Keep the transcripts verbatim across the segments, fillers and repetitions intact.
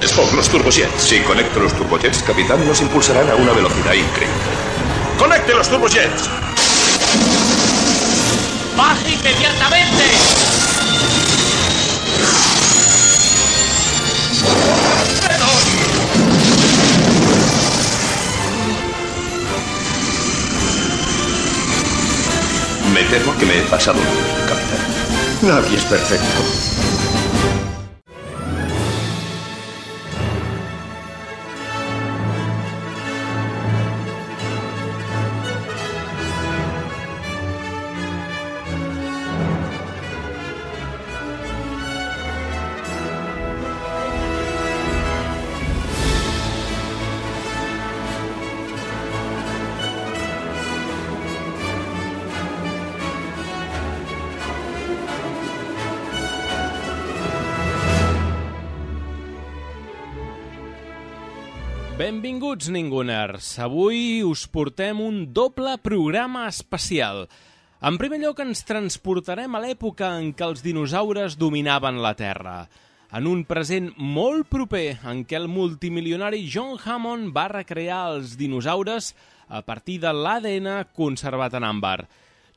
Spock, los turbojets. Si conecto los turbojets, capitán, nos impulsarán a una velocidad increíble. ¡Conecte los turbojets! ¡Baje inmediatamente! Me temo que me he pasado, capitán. Nadie es perfecto. Benvinguts, Ninguners. Avui us portem un doble programa especial. En primer lloc, ens transportarem a l'època en què els dinosaures dominaven la Terra. En un present molt proper en què el multimilionari John Hammond va recrear els dinosaures a partir de l'A D N conservat en àmbar.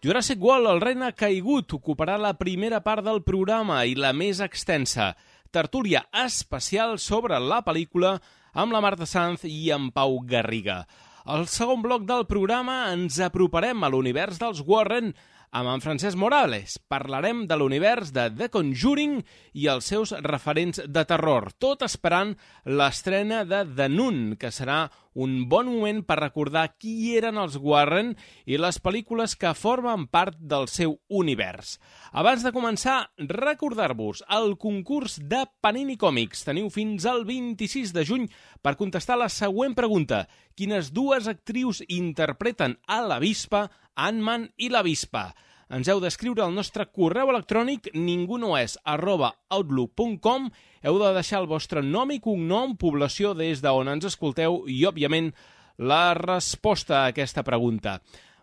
Jurassic World, el regne caigut, ocuparà la primera part del programa i la més extensa. Tertúlia especial sobre la pel·lícula amb la Marta Sanz i en Pau Garriga. Al segon bloc del programa ens aproparem a l'univers dels Warren amb en Francesc Morales. Parlarem de l'univers de The Conjuring i els seus referents de terror, tot esperant l'estrena de The Nun, que serà un bon moment per recordar qui eren els Warren i les pel·lícules que formen part del seu univers. Abans de començar, recordar-vos el concurs de Panini Còmics. Teniu fins al vint-i-sis de juny per contestar la següent pregunta. Quines dues actrius interpreten a l'avispa, Ant-Man i l'avispa? Ens heu d'escriure al nostre correu electrònic ningunoes arroba outlook punt com. Heu de deixar el vostre nom i cognom, població des d'on ens escolteu i, òbviament, la resposta a aquesta pregunta.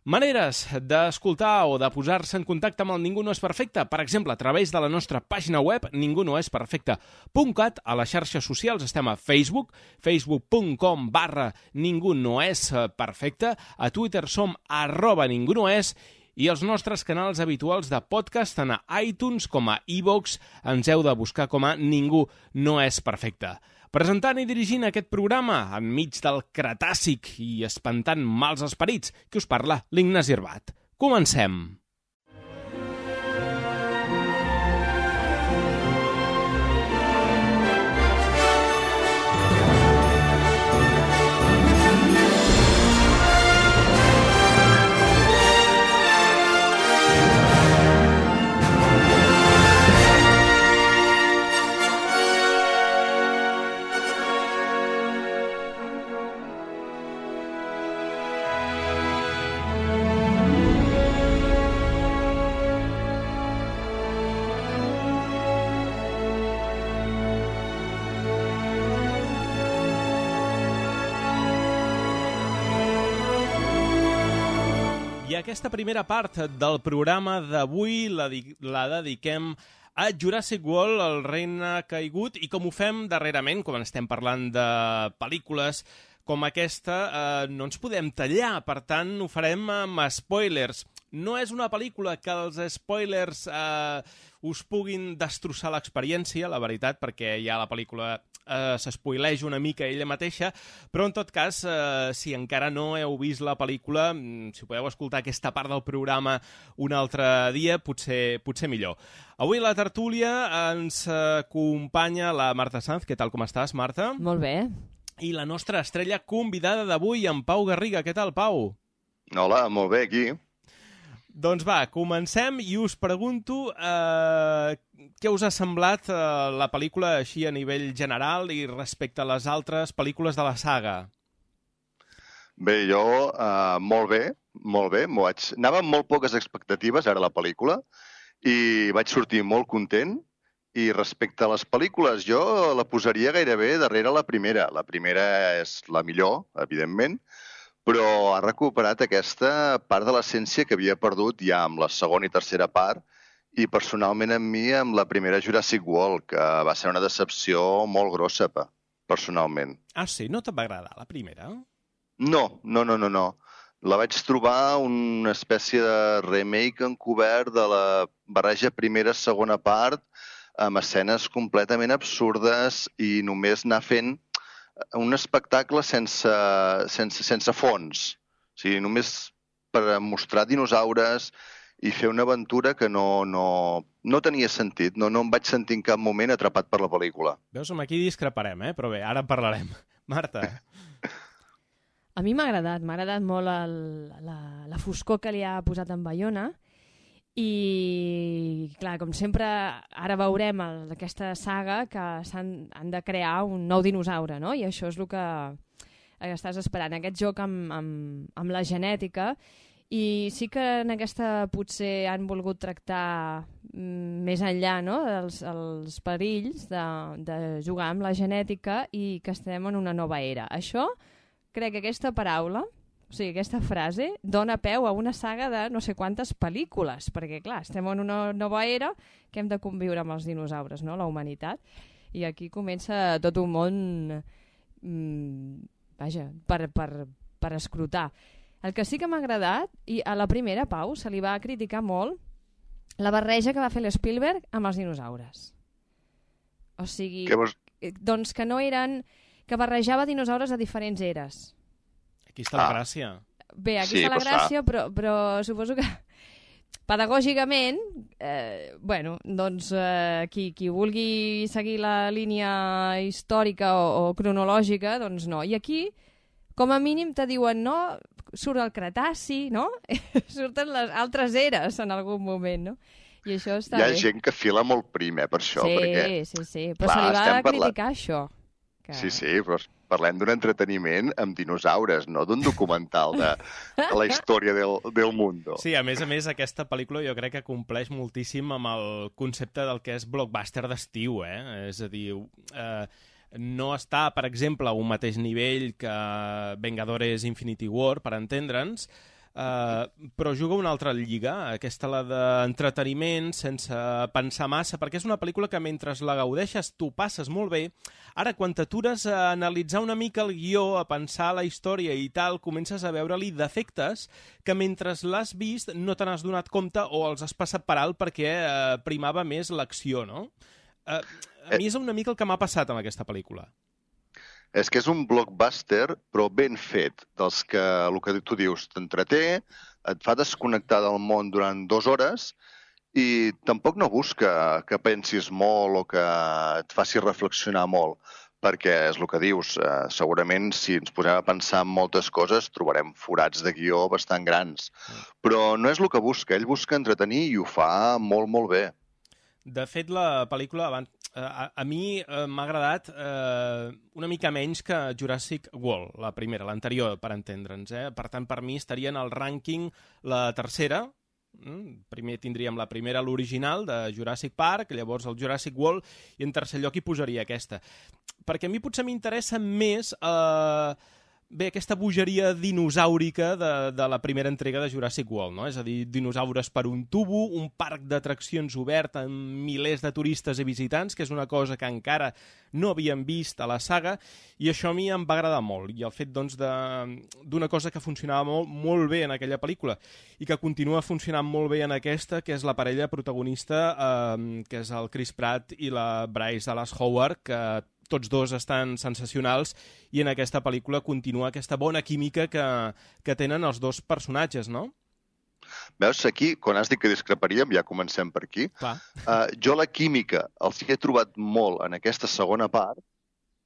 Maneres d'escoltar o de posar-se en contacte amb el Ningú no és perfecte, per exemple, a través de la nostra pàgina web ningú no és perfecte punt cat. A les xarxes socials estem a Facebook, facebook punt com barra ningú no és perfecte, a Twitter som arroba ningú no és, i els nostres canals habituals de podcast, tant a iTunes com a iVoox, ens heu de buscar com a Ningú no és perfecte. Presentant i dirigint aquest programa, enmig del Cretàcic i espantant mals esperits, que us parla l'Ignasi Herbat. Comencem! Aquesta primera part del programa d'avui la, la dediquem a Jurassic World, el regne caigut, i com ho fem darrerament, quan estem parlant de pel·lícules com aquesta, eh, no ens podem tallar, per tant ho farem amb spoilers. No és una pel·lícula que els spoilers eh, us puguin destrossar l'experiència, la veritat, perquè ja la pel·lícula eh, s'espoileja una mica ella mateixa, però en tot cas, eh, si encara no heu vist la pel·lícula, si podeu escoltar aquesta part del programa un altre dia, potser, potser millor. Avui a la tertúlia ens acompanya la Marta Sanz. Què tal, com estàs, Marta? Molt bé. I la nostra estrella convidada d'avui, en Pau Garriga. Què tal, Pau? Hola, molt bé, aquí. Doncs va, comencem i us pregunto eh, què us ha semblat eh, la pel·lícula així a nivell general i respecte a les altres pel·lícules de la saga. Bé, jo eh, molt bé, molt bé. Vaig... Anava amb molt poques expectatives, ara la pel·lícula, i vaig sortir molt content. I respecte a les pel·lícules, jo la posaria gairebé darrere la primera. La primera és la millor, evidentment, però ha recuperat aquesta part de l'essència que havia perdut ja amb la segona i tercera part, i personalment amb mi amb la primera Jurassic World, que va ser una decepció molt grossa. Pa. personalment. Ah, sí? No te va agradar la primera? No, no, no, no, no. La vaig trobar una espècie de remake encobert de la barreja primera-segona part amb escenes completament absurdes i només anar fent un espectacle sense, sense, sense fons. O sigui, només per mostrar dinosaures i fer una aventura que no, no, no tenia sentit. No, no em vaig sentir en cap moment atrapat per la pel·lícula. Veus, amb aquí discreparem, eh? Però bé, ara en parlarem. Marta. A mi m'ha agradat, m'ha agradat molt el, la, la foscor que li ha posat en Bayona i, clar, com sempre, ara veurem el, aquesta saga que s'han han de crear un nou dinosaure, no? I això és el que estàs esperant, aquest joc amb, amb, amb la genètica. I sí que en aquesta potser han volgut tractar mm, més enllà, no?, dels els perills de, de jugar amb la genètica i que estem en una nova era. Això, crec que aquesta paraula, o sigui, aquesta frase, dona peu a una saga de no sé quantes pel·lícules, perquè, clar, estem en una nova era que hem de conviure amb els dinosaures, no?, la humanitat, i aquí comença tot un món, mm, vaja, per, per, per escrutar. El que sí que m'ha agradat, i a la primera, Pau, se li va criticar molt la barreja que va fer l'Spielberg amb els dinosaures. O sigui, vols... doncs que no eren... que barrejava dinosaures de diferents eres. Aquí està ah. la gràcia. Bé, aquí sí, està la gràcia, fa. però, però suposo que pedagògicament, eh, bueno, doncs eh, qui, qui vulgui seguir la línia històrica o, o cronològica, doncs no. I aquí, com a mínim, te diuen, no, surt el Cretaci, no? Surten les altres eres en algun moment, no? I això està Hi ha bé. gent que fila molt prim, eh, per això. Sí, perquè, sí, sí, però clar, se li va estem criticar parlant... això. Que... Sí, sí, però parlem d'un entreteniment amb dinosaures, no d'un documental de, de la història del, del mundo. Sí, a més a més, aquesta pel·lícula jo crec que compleix moltíssim amb el concepte del que és blockbuster d'estiu, eh? És a dir, eh, no està, per exemple, a un mateix nivell que Vengadores Infinity War, per entendre'ns, Uh, però juga una altra lliga, aquesta la d'entreteniment sense pensar massa, perquè és una pel·lícula que mentre la gaudeixes tu passes molt bé. Ara, quan t'atures a analitzar una mica el guió, a pensar la història i tal, comences a veure-li defectes que mentre l'has vist no te n'has donat compte o els has passat per alt perquè uh, primava més l'acció, no? Uh, a mi és una mica el que m'ha passat amb aquesta pel·lícula. És que és un blockbuster, però ben fet, dels que, el que tu dius, t'entreté, et fa desconnectar del món durant dues hores i tampoc no busca que pensis molt o que et faci reflexionar molt, perquè és el que dius, eh, segurament si ens posem a pensar en moltes coses trobarem forats de guió bastant grans. Però no és el que busca, ell busca entretenir i ho fa molt, molt bé. De fet, la pel·lícula, abans, a, a mi eh, m'ha agradat eh, una mica menys que Jurassic World, la primera, l'anterior, per entendre'ns. Eh? Per tant, per mi estaria en el rànquing la tercera. Mm? Primer tindríem la primera, l'original, de Jurassic Park, llavors el Jurassic World, i en tercer lloc hi posaria aquesta. Perquè a mi potser m'interessa més... Eh, Bé, aquesta bogeria dinosaurica de, de la primera entrega de Jurassic World, no? És a dir, dinosaures per un tubo, un parc d'atraccions obert amb milers de turistes i visitants, que és una cosa que encara no havíem vist a la saga, i això a mi em va agradar molt. I el fet, doncs, d'una cosa que funcionava molt, molt bé en aquella pel·lícula i que continua funcionant molt bé en aquesta, que és la parella protagonista, eh, que és el Chris Pratt i la Bryce Dallas Howard, que tots dos estan sensacionals i en aquesta pel·lícula continua aquesta bona química que, que tenen els dos personatges, no? Veus, aquí, quan has dit que discreparíem, ja comencem per aquí. Clar. Uh, jo la química els he trobat molt en aquesta segona part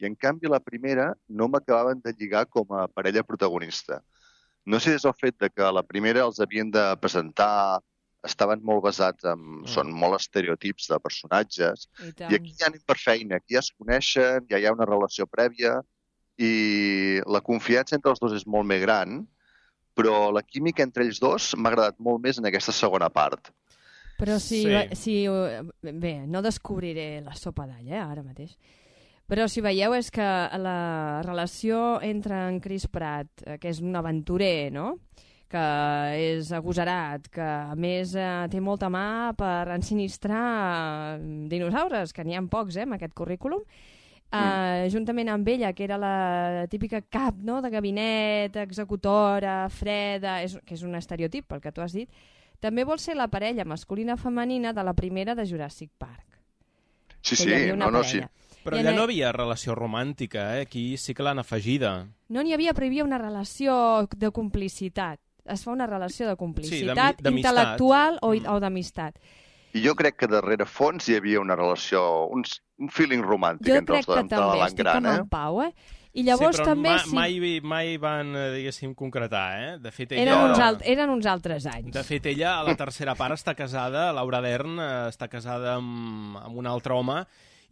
i, en canvi, la primera no m'acabaven de lligar com a parella protagonista. No sé si és el fet de que la primera els havien de presentar... estaven molt basats en... Mm. Són molt estereotips de personatges. I, I aquí ja anem per feina. Aquí ja es coneixen, ja hi ha una relació prèvia i la confiança entre els dos és molt més gran, però la química entre ells dos m'ha agradat molt més en aquesta segona part. Però si... Sí. si bé, no descobriré la sopa d'all, eh, ara mateix. Però si veieu és que la relació entre en Chris Pratt, que és un aventurer, no?, que és agosarat, que a més eh, té molta mà per ensinistrar dinosaures, que n'hi ha pocs eh, en aquest currículum, Uh, juntament amb ella, que era la típica cap, no?, de gabinet, executora, freda, és, que és un estereotip, pel que tu has dit, també vol ser la parella masculina-femenina de la primera de Jurassic Park. Sí, sí, no, no, sí. Però allà no havia relació romàntica, eh? Aquí sí que l'han afegida. No n'hi havia, però hi havia una relació de complicitat. Es fa una relació de complicitat sí, intel·lectual o, mm. o d'amistat. I jo crec que darrere fons hi havia una relació, un, un feeling romàntic jo entre els dos, entre la estic gran, eh? Jo crec que també, estic amb en Pau, eh? I llavors sí, però també... Ma, sí. mai, mai van, diguéssim, concretar, eh? De fet, ella... Eren uns, alt, eren uns altres anys. De fet, ella, a la tercera part, està casada, Laura Dern, està casada amb, amb un altre home,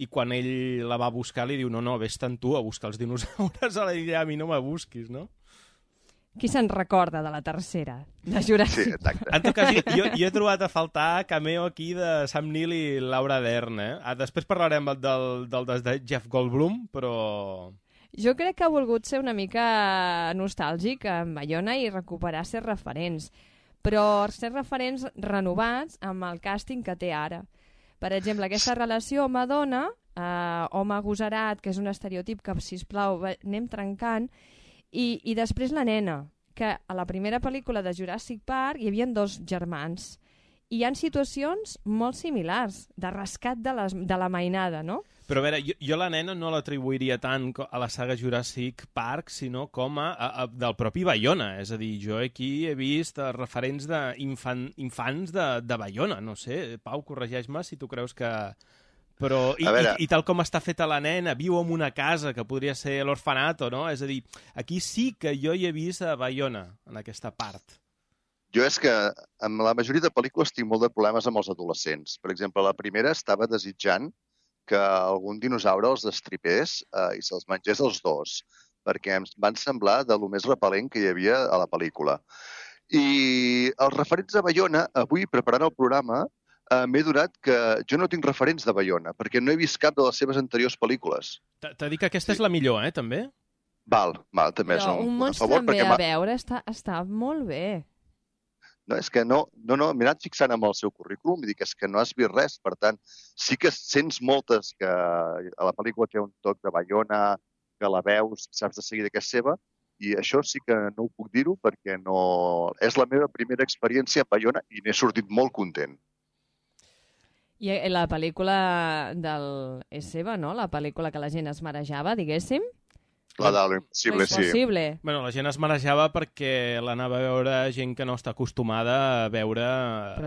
i quan ell la va buscar li diu, no, no, vés-te'n tu a buscar els dinosaures a l'illa, a mi no me busquis, no? Qui se'n recorda de la tercera, de Jurassic? Sí, exacte. En tot cas, jo, jo he trobat a faltar cameo aquí de Sam Neill i Laura Dern, eh? Ah, després parlarem del, del, del de Jeff Goldblum, però... Jo crec que ha volgut ser una mica nostàlgic amb Bayona i recuperar ser referents, però ser referents renovats amb el càsting que té ara. Per exemple, aquesta relació home-dona, eh, home-agosarat, que és un estereotip que, sisplau, anem trencant, I, i després la nena, que a la primera pel·lícula de Jurassic Park hi havia dos germans. I hi ha situacions molt similars, de rescat de, les, de la mainada, no? Però a veure, jo, jo la nena no l'atribuiria tant a la saga Jurassic Park, sinó com a, a, a del propi Bayona. És a dir, jo aquí he vist referents d'infants infan, de, de Bayona. No sé, Pau, corregeix-me si tu creus que... Però, i, i, i tal com està feta la nena, viu en una casa que podria ser l'orfanato, no? És a dir, aquí sí que jo hi he vist a Bayona, en aquesta part. Jo és que amb la majoria de pel·lícules tinc molt de problemes amb els adolescents. Per exemple, la primera estava desitjant que algun dinosaure els destripés eh, i se'ls mengés els dos, perquè em van semblar de lo més repel·lent que hi havia a la pel·lícula. I els referents a Bayona, avui, preparant el programa, Uh, m'he donat que jo no tinc referents de Bayona, perquè no he vist cap de les seves anteriors pel·lícules. T'ha dit que aquesta sí. és la millor, eh, també? Val, val, també Però és un, un monstre a favor. també a veure, està, està molt bé. No, és que no, no, no m'he anat fixant amb el seu currículum i dic, és que no has vist res, per tant, sí que sents moltes que a la pel·lícula té un toc de Bayona, que la veus, saps de seguida que és seva, i això sí que no ho puc dir-ho perquè no... és la meva primera experiència a Bayona i n'he sortit molt content. I la pel·lícula del... és seva, no? La pel·lícula que la gent es marejava, diguéssim? La de l'Impossible, sí. Impossible. Bueno, la gent es marejava perquè l'anava a veure gent que no està acostumada a veure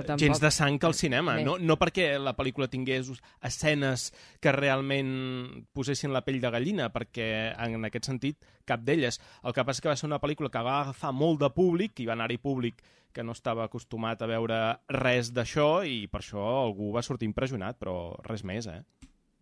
tampoc... gens de sang al cinema. No, no perquè la pel·lícula tingués escenes que realment posessin la pell de gallina, perquè en aquest sentit cap d'elles. El que passa és que va ser una pel·lícula que va agafar molt de públic, i va anar-hi públic que no estava acostumat a veure res d'això, i per això algú va sortir impressionat, però res més, eh?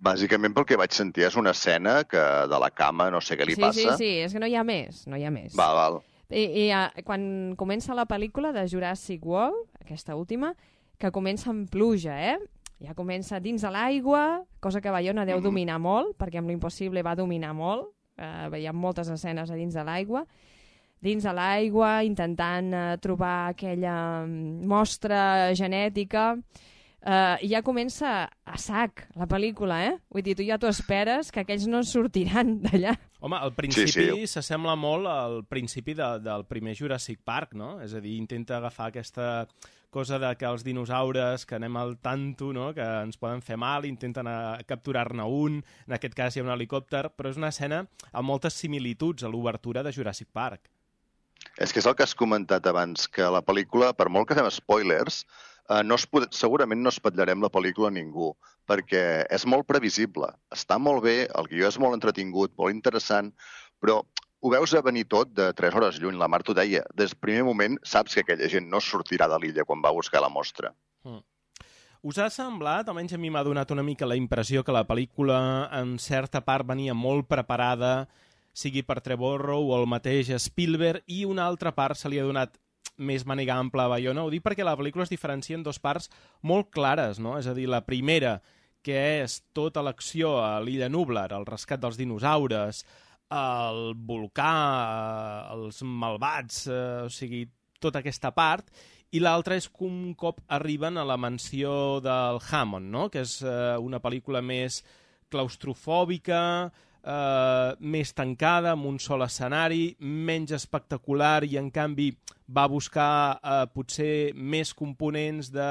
Bàsicament pel que vaig sentir és una escena que de la cama no sé què li sí, passa. Sí, sí, és que no hi ha més, no hi ha més. Val, val. I, i uh, quan comença la pel·lícula de Jurassic World, aquesta última, que comença amb pluja, eh? Ja comença dins de l'aigua, cosa que Bayona deu mm. dominar molt, perquè amb l'Impossible va dominar molt, uh, veiem moltes escenes a dins de l'aigua, dins de l'aigua, intentant uh, trobar aquella mostra genètica, uh, i ja comença a sac la pel·lícula, eh? Vull dir, tu ja t'ho esperes que aquells no sortiran d'allà. Home, al principi sí, sí. s'assembla molt al principi de, del primer Jurassic Park, no? És a dir, intenta agafar aquesta cosa de que els dinosaures, que anem al tanto, no? Que ens poden fer mal, intenten capturar-ne un, en aquest cas hi ha un helicòpter, però és una escena amb moltes similituds a l'obertura de Jurassic Park. És que és el que has comentat abans, que la pel·lícula, per molt que fem spoilers, eh, no es pot, segurament no espatllarem la pel·lícula a ningú, perquè és molt previsible. Està molt bé, el guió és molt entretingut, molt interessant, però ho veus a venir tot de tres hores lluny. La Mar t'ho deia, des del primer moment saps que aquella gent no sortirà de l'illa quan va buscar la mostra. Mm. Us ha semblat, almenys a mi m'ha donat una mica la impressió que la pel·lícula en certa part venia molt preparada, sigui per Trevorrow o el mateix Spielberg, i una altra part se li ha donat més màniga ampla a Bayona? Ho dic perquè la pel·lícula es diferencia en dues parts molt clares, no? És a dir, la primera, que és tota l'acció a l'illa Nublar, el rescat dels dinosaures, el volcà, els malvats, eh, o sigui, tota aquesta part, i l'altra és que un cop arriben a la mansió del Hammond, no? Que és eh, una pel·lícula més claustrofòbica, eh, més tancada, amb un sol escenari, menys espectacular i, en canvi, va buscar eh, potser més components de,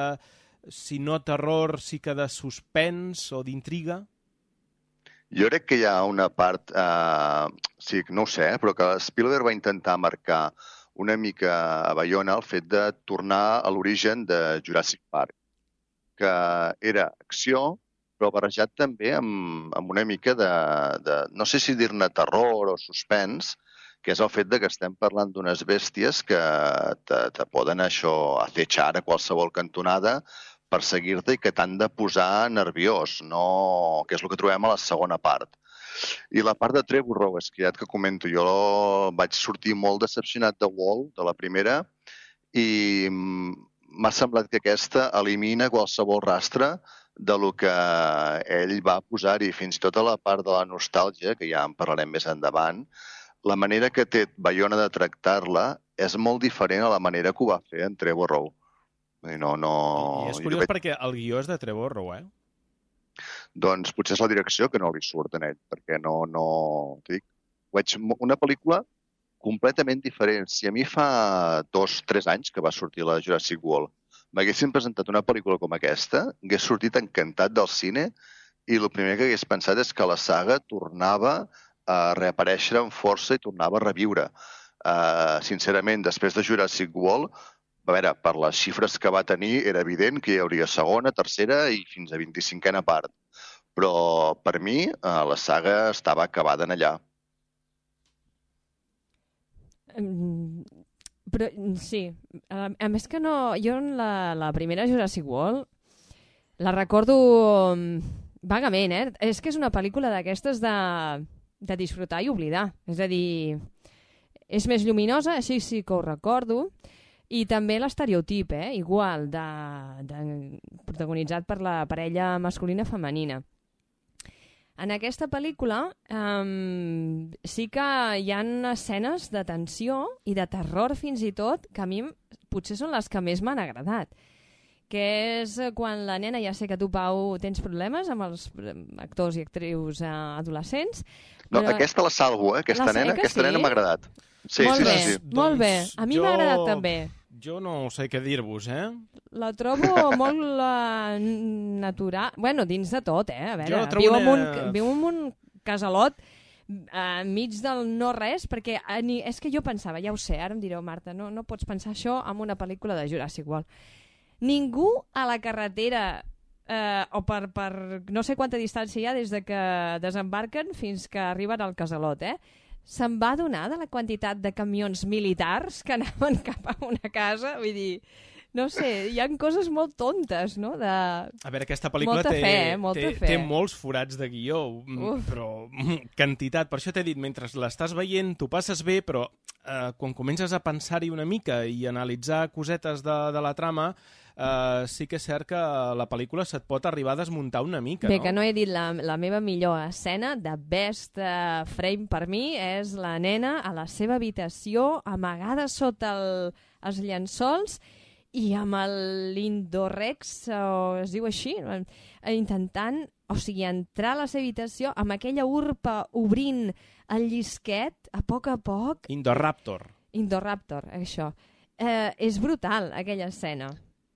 si no terror, sí que de suspens o d'intriga? Jo crec que hi ha una part, eh, sí, no ho sé, però que Spielberg va intentar marcar una mica a Bayona el fet de tornar a l'origen de Jurassic Park, que era acció, però barrejat també amb, amb una mica de, de, no sé si dir-ne terror o suspens, que és el fet de que estem parlant d'unes bèsties que te, te poden això acechar a qualsevol cantonada, perseguir-te i que t'han de posar nerviós, no... que és el que trobem a la segona part. I la part de Trevor Rowe, és que ja que comento, jo vaig sortir molt decepcionat de Wall, de la primera, i m'ha semblat que aquesta elimina qualsevol rastre de lo que ell va posar-hi, fins i tot a la part de la nostàlgia, que ja en parlarem més endavant. La manera que té Bayona de tractar-la és molt diferent a la manera que ho va fer en Trevor Rowe. No, no... I és curiós veig... perquè el guió és de Trevor Rowe, eh? Doncs potser és la direcció que no li surt en ell, perquè no... no... Dic, veig una pel·lícula completament diferent. Si a mi fa dos, tres anys que va sortir la Jurassic World m'haguessin presentat una pel·lícula com aquesta, hagués sortit encantat del cine i el primer que hagués pensat és que la saga tornava a reaparèixer amb força i tornava a reviure. Uh, sincerament, després de Jurassic World, a veure, per les xifres que va tenir, era evident que hi hauria segona, tercera i fins a vint-i-cinquena part. Però, per mi, la saga estava acabada en allà. Um, però, sí. A, a més que no... Jo, la, la primera Jurassic World, la recordo vagament, eh? És que és una pel·lícula d'aquestes de, de disfrutar i oblidar. És a dir, és més lluminosa, així sí que ho recordo. I també l'estereotip, eh? Igual, de, de, protagonitzat per la parella masculina-femenina. En aquesta pel·lícula um, sí que hi ha escenes de tensió i de terror fins i tot que a mi potser són les que més m'han agradat. Que és quan la nena, ja sé que tu, Pau, tens problemes amb els actors i actrius uh, adolescents. No, però... aquesta la salvo, eh? Aquesta la nena, aquesta sí? nena m'ha agradat. Sí, molt sí, bé, sí, sí. Molt bé. A mi jo... m'ha agradat també. Jo no sé què dir-vos, eh? La trobo molt uh, natural. Bueno, dins de tot, eh? A veure, viu, una... en un, viu en un casalot uh, enmig del no-res, perquè uh, ni, és que jo pensava, ja ho sé, ara em direu, Marta, no, no pots pensar això en una pel·lícula de Jurassic World. Ningú a la carretera uh, o per, per no sé quanta distància hi ha des de que desembarquen fins que arriben al casalot, eh? Se'n va adonar de la quantitat de camions militars que anaven cap a una casa? Vull dir, no sé, hi ha coses molt tontes, no? De... A veure, aquesta pel·lícula molta té, fe, eh? molta té, fe. té molts forats de guió, Uf. però quantitat. Per això t'he dit, mentre l'estàs veient, t'ho passes bé, però eh, quan comences a pensar-hi una mica i analitzar cosetes de, de la trama, Uh, sí que és cert que la pel·lícula se't pot arribar a desmuntar una mica, Bé, no? que no he dit la, la meva millor escena de best uh, frame per mi és la nena a la seva habitació amagada sota el, els llençols i amb l'Indorex, o es diu així, intentant, o sigui, entrar a la seva habitació amb aquella urpa obrint el llisquet a poc a poc. Indoraptor. Indoraptor, això. Eh, és brutal, aquella escena.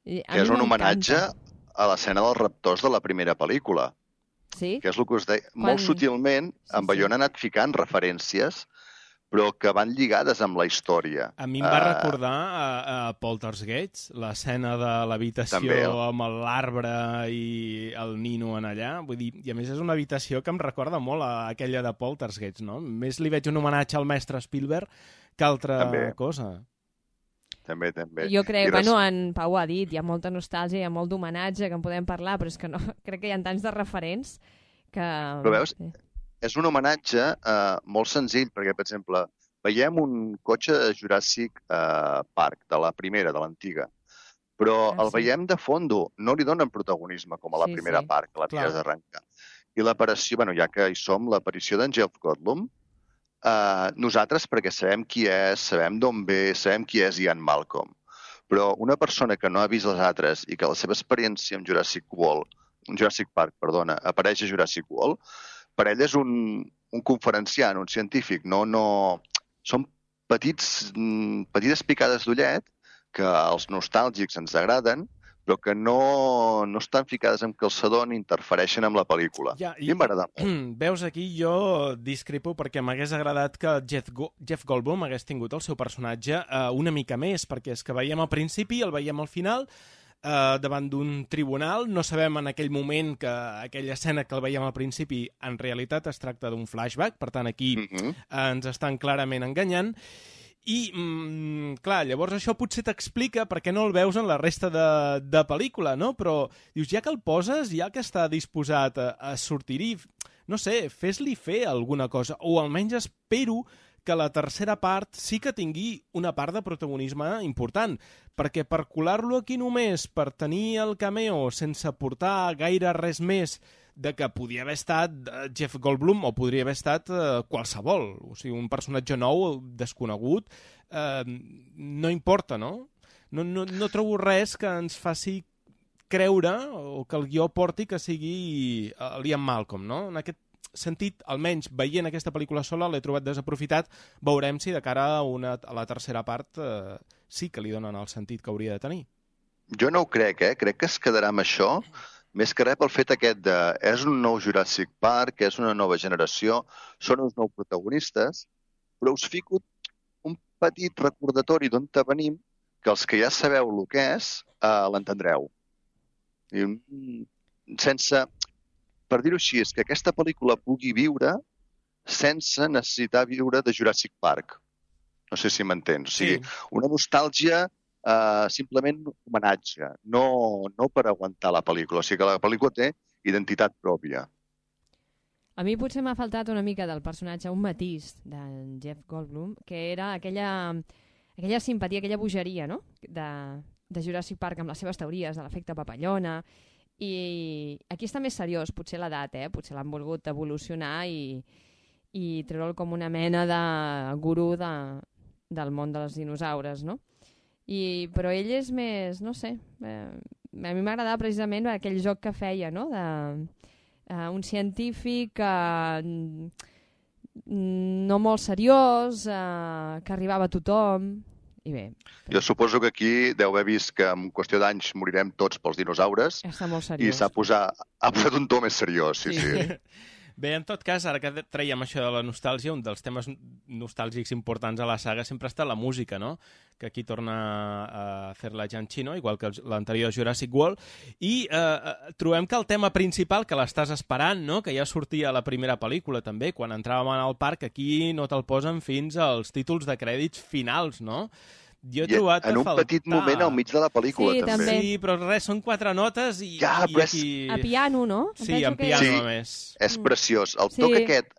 Que és un homenatge a l'escena dels raptors de la primera pel·lícula. Sí? Que és el que us deia. Quan... Molt sutilment, sí, en Bayona sí. ha anat ficant referències, però que van lligades amb la història. A mi em va uh... recordar a, a Poltergeist, l'escena de l'habitació amb l'arbre i el nino en allà. Vull dir, i a més és una habitació que em recorda molt a aquella de Poltergeist, no? Més li veig un homenatge al mestre Spielberg que altra també. cosa. També, també. Jo crec, res... bueno, en Pau ha dit, hi ha molta nostàlgia, hi ha molt d'homenatge que en podem parlar, però és que no, crec que hi ha tants de referents que... Però veus, és un homenatge eh, molt senzill, perquè, per exemple, veiem un cotxe de Jurassic eh, Park, de la primera, de l'antiga, però ah, el sí. veiem de fondo, no li donen protagonisme com a la sí, primera sí. part, que la tires d'arrencar. I l'aparició, bueno, ja que hi som, l'aparició d'en Jeff Goldblum, Uh, nosaltres, perquè sabem qui és, sabem d'on ve, sabem qui és Ian Malcolm. Però una persona que no ha vist les altres i que la seva experiència amb Jurassic World Jurassic Park, perdona, apareix a Jurassic World, per ell és un, un conferenciant, un científic, no, no... Són petits, petites picades d'ullet que als nostàlgics ens agraden, però que no, no estan ficades en calçador ni interfereixen amb la pel·lícula. Ja, i, I m'agrada molt. Veus, aquí jo discrepo perquè m'hagués agradat que Jeff, Go Jeff Goldblum hagués tingut el seu personatge uh, una mica més, perquè és que veiem al principi, el veiem al final, uh, davant d'un tribunal, no sabem en aquell moment que aquella escena que el veiem al principi en realitat es tracta d'un flashback, per tant aquí mm -hmm. uh, ens estan clarament enganyant. I, mm, clar, llavors això potser t'explica per què no el veus en la resta de, de pel·lícula, no? Però dius, ja que el poses, ja que està disposat a, a sortir-hi, no sé, fes-li fer alguna cosa, o almenys espero que la tercera part sí que tingui una part de protagonisme important, perquè per colar-lo aquí només, per tenir el cameo sense portar gaire res més de que podia haver estat Jeff Goldblum o podria haver estat eh, qualsevol. O sigui, un personatge nou, desconegut, eh, no importa, no? No, no? no trobo res que ens faci creure o que el guió porti que sigui uh, Liam Malcolm, no? En aquest sentit, almenys veient aquesta pel·lícula sola, l'he trobat desaprofitat. Veurem si de cara a, una, a la tercera part eh, sí que li donen el sentit que hauria de tenir. Jo no ho crec, eh? Crec que es quedarà amb això, més que res pel fet aquest de... És un nou Jurassic Park, és una nova generació, són uns nous protagonistes, però us fico un petit recordatori d'on te venim, que els que ja sabeu el que és, eh, l'entendreu. Sense... Per dir-ho així, és que aquesta pel·lícula pugui viure sense necessitar viure de Jurassic Park. No sé si m'entens. O sigui, sí. Una nostàlgia... Uh, simplement homenatge, no, no per aguantar la pel·lícula. O sigui que la pel·lícula té identitat pròpia. A mi potser m'ha faltat una mica del personatge, un matís de Jeff Goldblum, que era aquella, aquella simpatia, aquella bogeria, no? de, de Jurassic Park amb les seves teories de l'efecte papallona. I aquí està més seriós, potser l'edat, eh? Potser l'han volgut evolucionar i, i treure'l com una mena de gurú de, del món dels dinosaures, no? I, però ell és més, no sé, eh, a mi m'agradava precisament aquell joc que feia, no? De, uh, un científic uh, no molt seriós, uh, que arribava a tothom, i bé. Jo suposo que aquí deu haver vist que en qüestió d'anys morirem tots pels dinosaures. Està molt seriós. I s'ha posat, ha posat un to més seriós, sí, sí. sí. Bé, en tot cas, ara que traiem això de la nostàlgia, un dels temes nostàlgics importants a la saga sempre està la música, no? Que aquí torna a fer-la Giacchino, igual que l'anterior Jurassic World, i eh, trobem que el tema principal, que l'estàs esperant, no? Que ja sortia a la primera pel·lícula també, quan entràvem al parc, aquí no te'l posen fins als títols de crèdits finals, no? Jo he trobat en un faltar... petit moment al mig de la pel·lícula, sí, també. també. Sí, però res, són quatre notes i, ja, i aquí... A piano, no? Sí, en piano, sí, a més. És preciós. El sí. toc aquest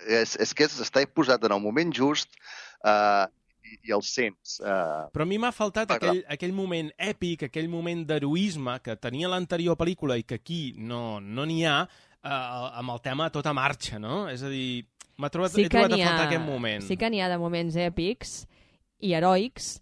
és, és que està posat en el moment just uh, i, i el sents. Uh, però a mi m'ha faltat aquell, aquell moment èpic, aquell moment d'heroisme que tenia l'anterior pel·lícula i que aquí no n'hi no ha, uh, amb el tema a tota marxa, no? És a dir, m'ha trobat, sí he trobat a ha, faltar aquest moment. Sí que n'hi ha de moments èpics i heroics.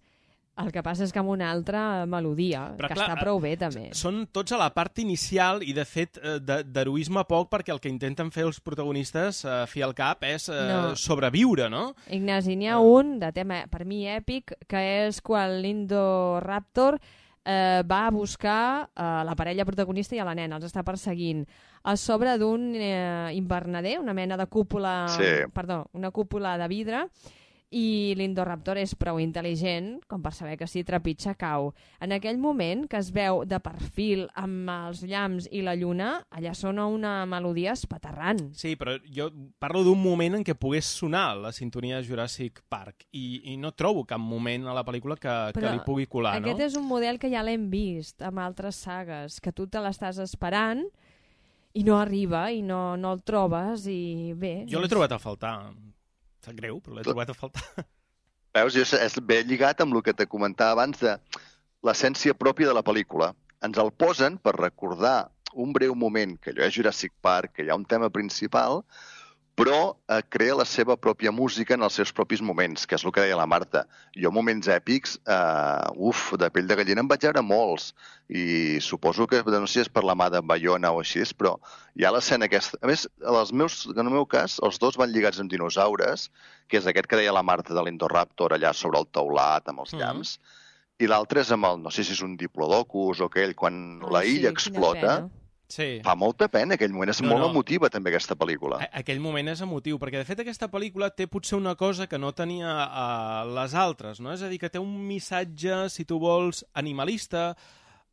El que passa és que amb una altra melodia, però, que clar, està prou bé, també. Són tots a la part inicial i, de fet, d'heroisme poc, perquè el que intenten fer els protagonistes, a fi al cap, és eh, no. sobreviure, no? Ignasi, n'hi ha uh. un de tema, per mi, èpic, que és quan l'Indoraptor eh, va a buscar eh, la parella protagonista i a la nena, els està perseguint, a sobre d'un eh, invernader, una mena de cúpula... Sí. Perdó, una cúpula de vidre, i l'Indoraptor és prou intel·ligent com per saber que si trepitja cau. En aquell moment que es veu de perfil amb els llamps i la lluna, allà sona una melodia espaterrant. Sí, però jo parlo d'un moment en què pogués sonar la sintonia de Jurassic Park i, i no trobo cap moment a la pel·lícula que, que li pugui colar, no? Aquest és un model que ja l'hem vist amb altres sagues, que tu te l'estàs esperant i no arriba i no, no el trobes i bé... Jo l'he trobat a faltar. Sap greu, però l'he trobat a faltar. Veus, és ben lligat amb el que te comentava abans de l'essència pròpia de la pel·lícula. Ens el posen per recordar un breu moment, que allò és Jurassic Park, que hi ha un tema principal, però eh, crea la seva pròpia música en els seus propis moments, que és el que deia la Marta. Jo, moments èpics, eh, uf, de pell de gallina em vaig veure molts, i suposo que, no sé si és per la mà de Bayona o així, però hi ha l'escena aquesta. A més, els meus, en el meu cas, els dos van lligats amb dinosaures, que és aquest que deia la Marta de l'Indoraptor allà sobre el teulat amb els llamps, mm. i l'altre és amb el, no sé si és un diplodocus o aquell, quan Ai, la illa sí, explota. Sí. Fa molta pena, aquell moment és no, molt no. emotiva també aquesta pel·lícula. A aquell moment és emotiu, perquè de fet aquesta pel·lícula té potser una cosa que no tenia uh, les altres, no? És a dir, que té un missatge, si tu vols, animalista,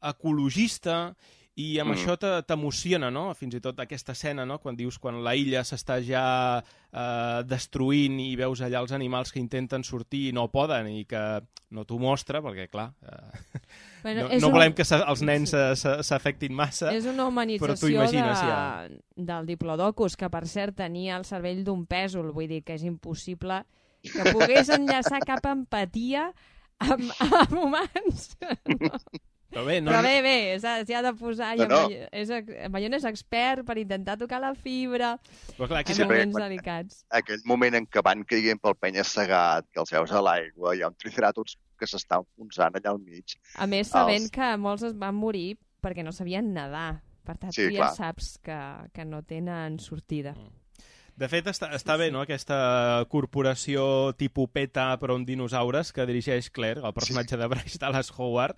ecologista, i amb mm. això t'emociona, no? Fins i tot aquesta escena, no? Quan dius quan la illa s'està ja eh, destruint i veus allà els animals que intenten sortir i no poden i que no t'ho mostra, perquè, clar, eh, bueno, no, no un... volem que els nens s'afectin massa. És una humanització de... ja. del Diplodocus, que per cert tenia el cervell d'un pèsol, vull dir que és impossible que pogués enllaçar cap empatia amb, amb humans. No. Però bé, no... Però bé, bé, s'hi ha de posar... No, no. És, Bayona és expert per intentar tocar la fibra però clar, en moments delicats. Aquell moment en què van caient pel penya-segat, que els veus a l'aigua, hi ha un triceratops que s'està enfonsant allà al mig. A més, sabent els... que molts es van morir perquè no sabien nedar. Per tant, sí, tu clar. ja saps que, que no tenen sortida. De fet, està, està bé, no?, aquesta corporació tipus PETA però amb dinosaures que dirigeix Claire, el personatge de Bryce Dallas Howard.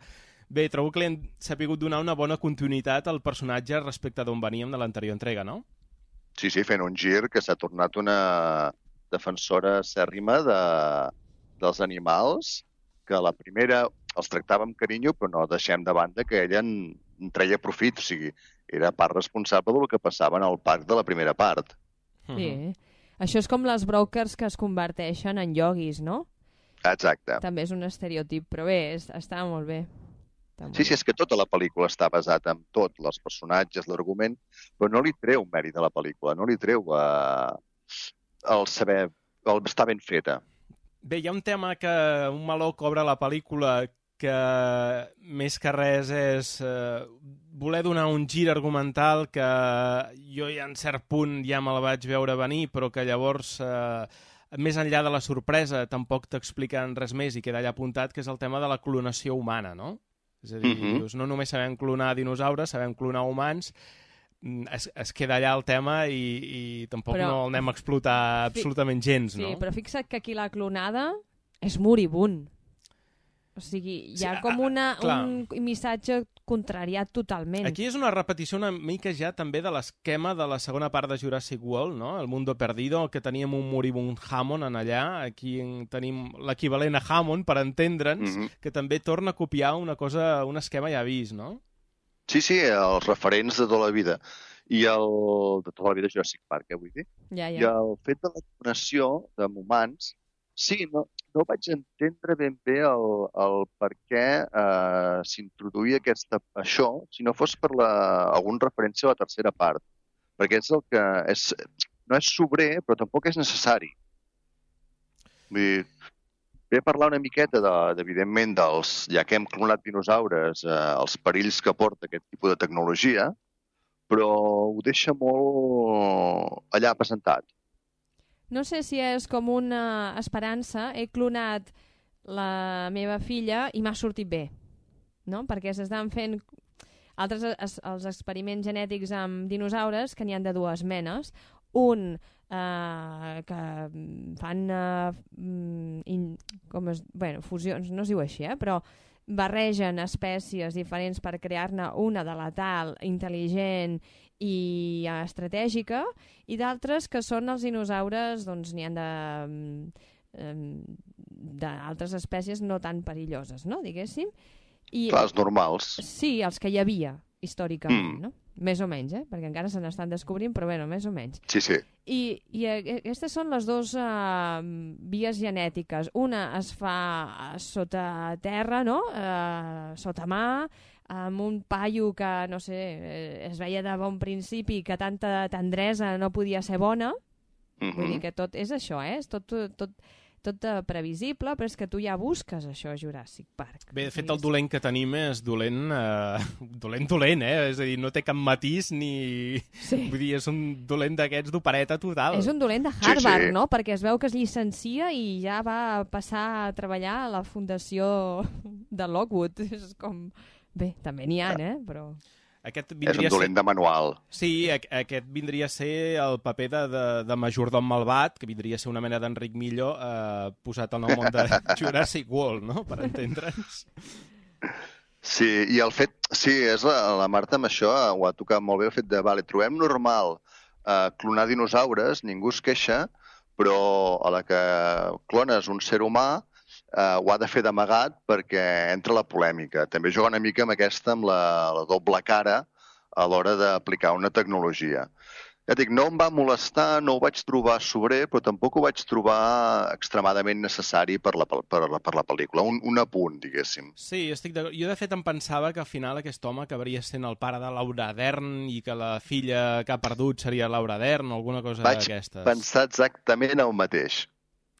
Bé, trobo que li han sapigut donar una bona continuïtat al personatge respecte d'on veníem de l'anterior entrega, no? Sí, sí, fent un gir que s'ha tornat una defensora acèrrima de, dels animals, que la primera els tractava amb carinyo, però no deixem de banda que ella en, en treia profit, o sigui, era part responsable del que passava en el parc de la primera part. Sí, això és com les brokers que es converteixen en ioguis, no? Exacte. També és un estereotip, però bé, és, està molt bé. Sí, sí, és que tota la pel·lícula està basada en tot, els personatges, l'argument, però no li treu mèrit a la pel·lícula, no li treu eh, el saber, el estar ben feta. Bé, hi ha un tema que un meló cobra a la pel·lícula que més que res és eh, voler donar un gir argumental que jo ja en cert punt ja me la vaig veure venir, però que llavors, eh, més enllà de la sorpresa, tampoc t'expliquen res més i queda allà apuntat, que és el tema de la clonació humana, no? És a dir, uh-huh. dius, no només sabem clonar dinosaures, sabem clonar humans, es, es queda allà el tema i, i tampoc però, no el anem a explotar absolutament gens, no? Sí, però fixa't que aquí la clonada és moribund. O sigui, hi ha sí, com una, a, un missatge contrariat totalment. Aquí és una repetició una mica ja també de l'esquema de la segona part de Jurassic World, no? El Mundo Perdido, que teníem un moribund Hammond en allà. Aquí tenim l'equivalent a Hammond, per entendre'ns, mm-hmm. que també torna a copiar una cosa, un esquema ja vist, no? Sí, sí, els referents de tota la vida. I el... de tota la vida Jurassic Park, eh, vull dir? Ja, ja. I el fet de la clonació de humans, sí, no, no vaig entendre ben bé el, el per què eh, s'introduïa aquesta, això, si no fos per la, alguna referència a la tercera part. Perquè és el que... És, no és sobrer, però tampoc és necessari. Vull dir, ve a parlar una miqueta, de, evidentment, dels, ja que hem clonat dinosaures, eh, els perills que porta aquest tipus de tecnologia, però ho deixa molt allà presentat. No sé si és com una esperança, he clonat la meva filla i m'ha sortit bé, no? Perquè s'estan fent altres es, els experiments genètics amb dinosaures, que n'hi han de dues menes. Un eh, que fan eh, in, com es, bueno, fusions, no es diu així, eh? Però barregen espècies diferents per crear-ne una de letal, intel·ligent i estratègica, i d'altres que són els dinosaures, doncs n'hi ha d'altres espècies no tan perilloses, no? Diguéssim. I, clar, els normals. Sí, els que hi havia històricament, mm. no? Més o menys, eh? Perquè encara se n'estan descobrint, però bueno, més o menys. Sí, sí. I, i aquestes són les dues uh, vies genètiques. Una es fa sota terra, no? Uh, sota mà, amb un paio que, no sé, es veia de bon principi que tanta tendresa no podia ser bona. Mm-hmm. Vull dir que tot és això, eh? És tot, tot, tot uh, previsible, però és que tu ja busques això a Jurassic Park. Bé, de fet, el dolent que tenim és dolent, eh, dolent, dolent, eh? És a dir, no té cap matís ni... Sí. Vull dir, és un dolent d'aquests d'opereta total. És un dolent de Harvard, Sí, sí. no? Perquè es veu que es llicencia i ja va passar a treballar a la fundació de Lockwood. És com... Bé, també n'hi ha, eh? Però... Aquest És vindria un dolent ser... de manual. Sí, a- aquest vindria a ser el paper de, de, de majordom malvat, que vindria a ser una mena d'Enric Millo eh, posat en el món de Jurassic World, no?, per entendre'ns. Sí, i el fet... Sí, és la, la Marta amb això ho ha tocat molt bé, el fet de, vale, trobem normal eh, clonar dinosaures, ningú es queixa, però a la que clones un ser humà eh, ho ha de fer d'amagat perquè entra la polèmica. També juga una mica amb aquesta, amb la, la doble cara a l'hora d'aplicar una tecnologia. Ja dic, no em va molestar, no ho vaig trobar sobrer, però tampoc ho vaig trobar extremadament necessari per la, per la, per la pel·lícula. Un, un apunt, diguéssim. Sí, estic d'acord. Jo, de fet, em pensava que al final aquest home acabaria sent el pare de Laura Dern i que la filla que ha perdut seria Laura Dern o alguna cosa Vaig d'aquestes. pensar exactament el mateix.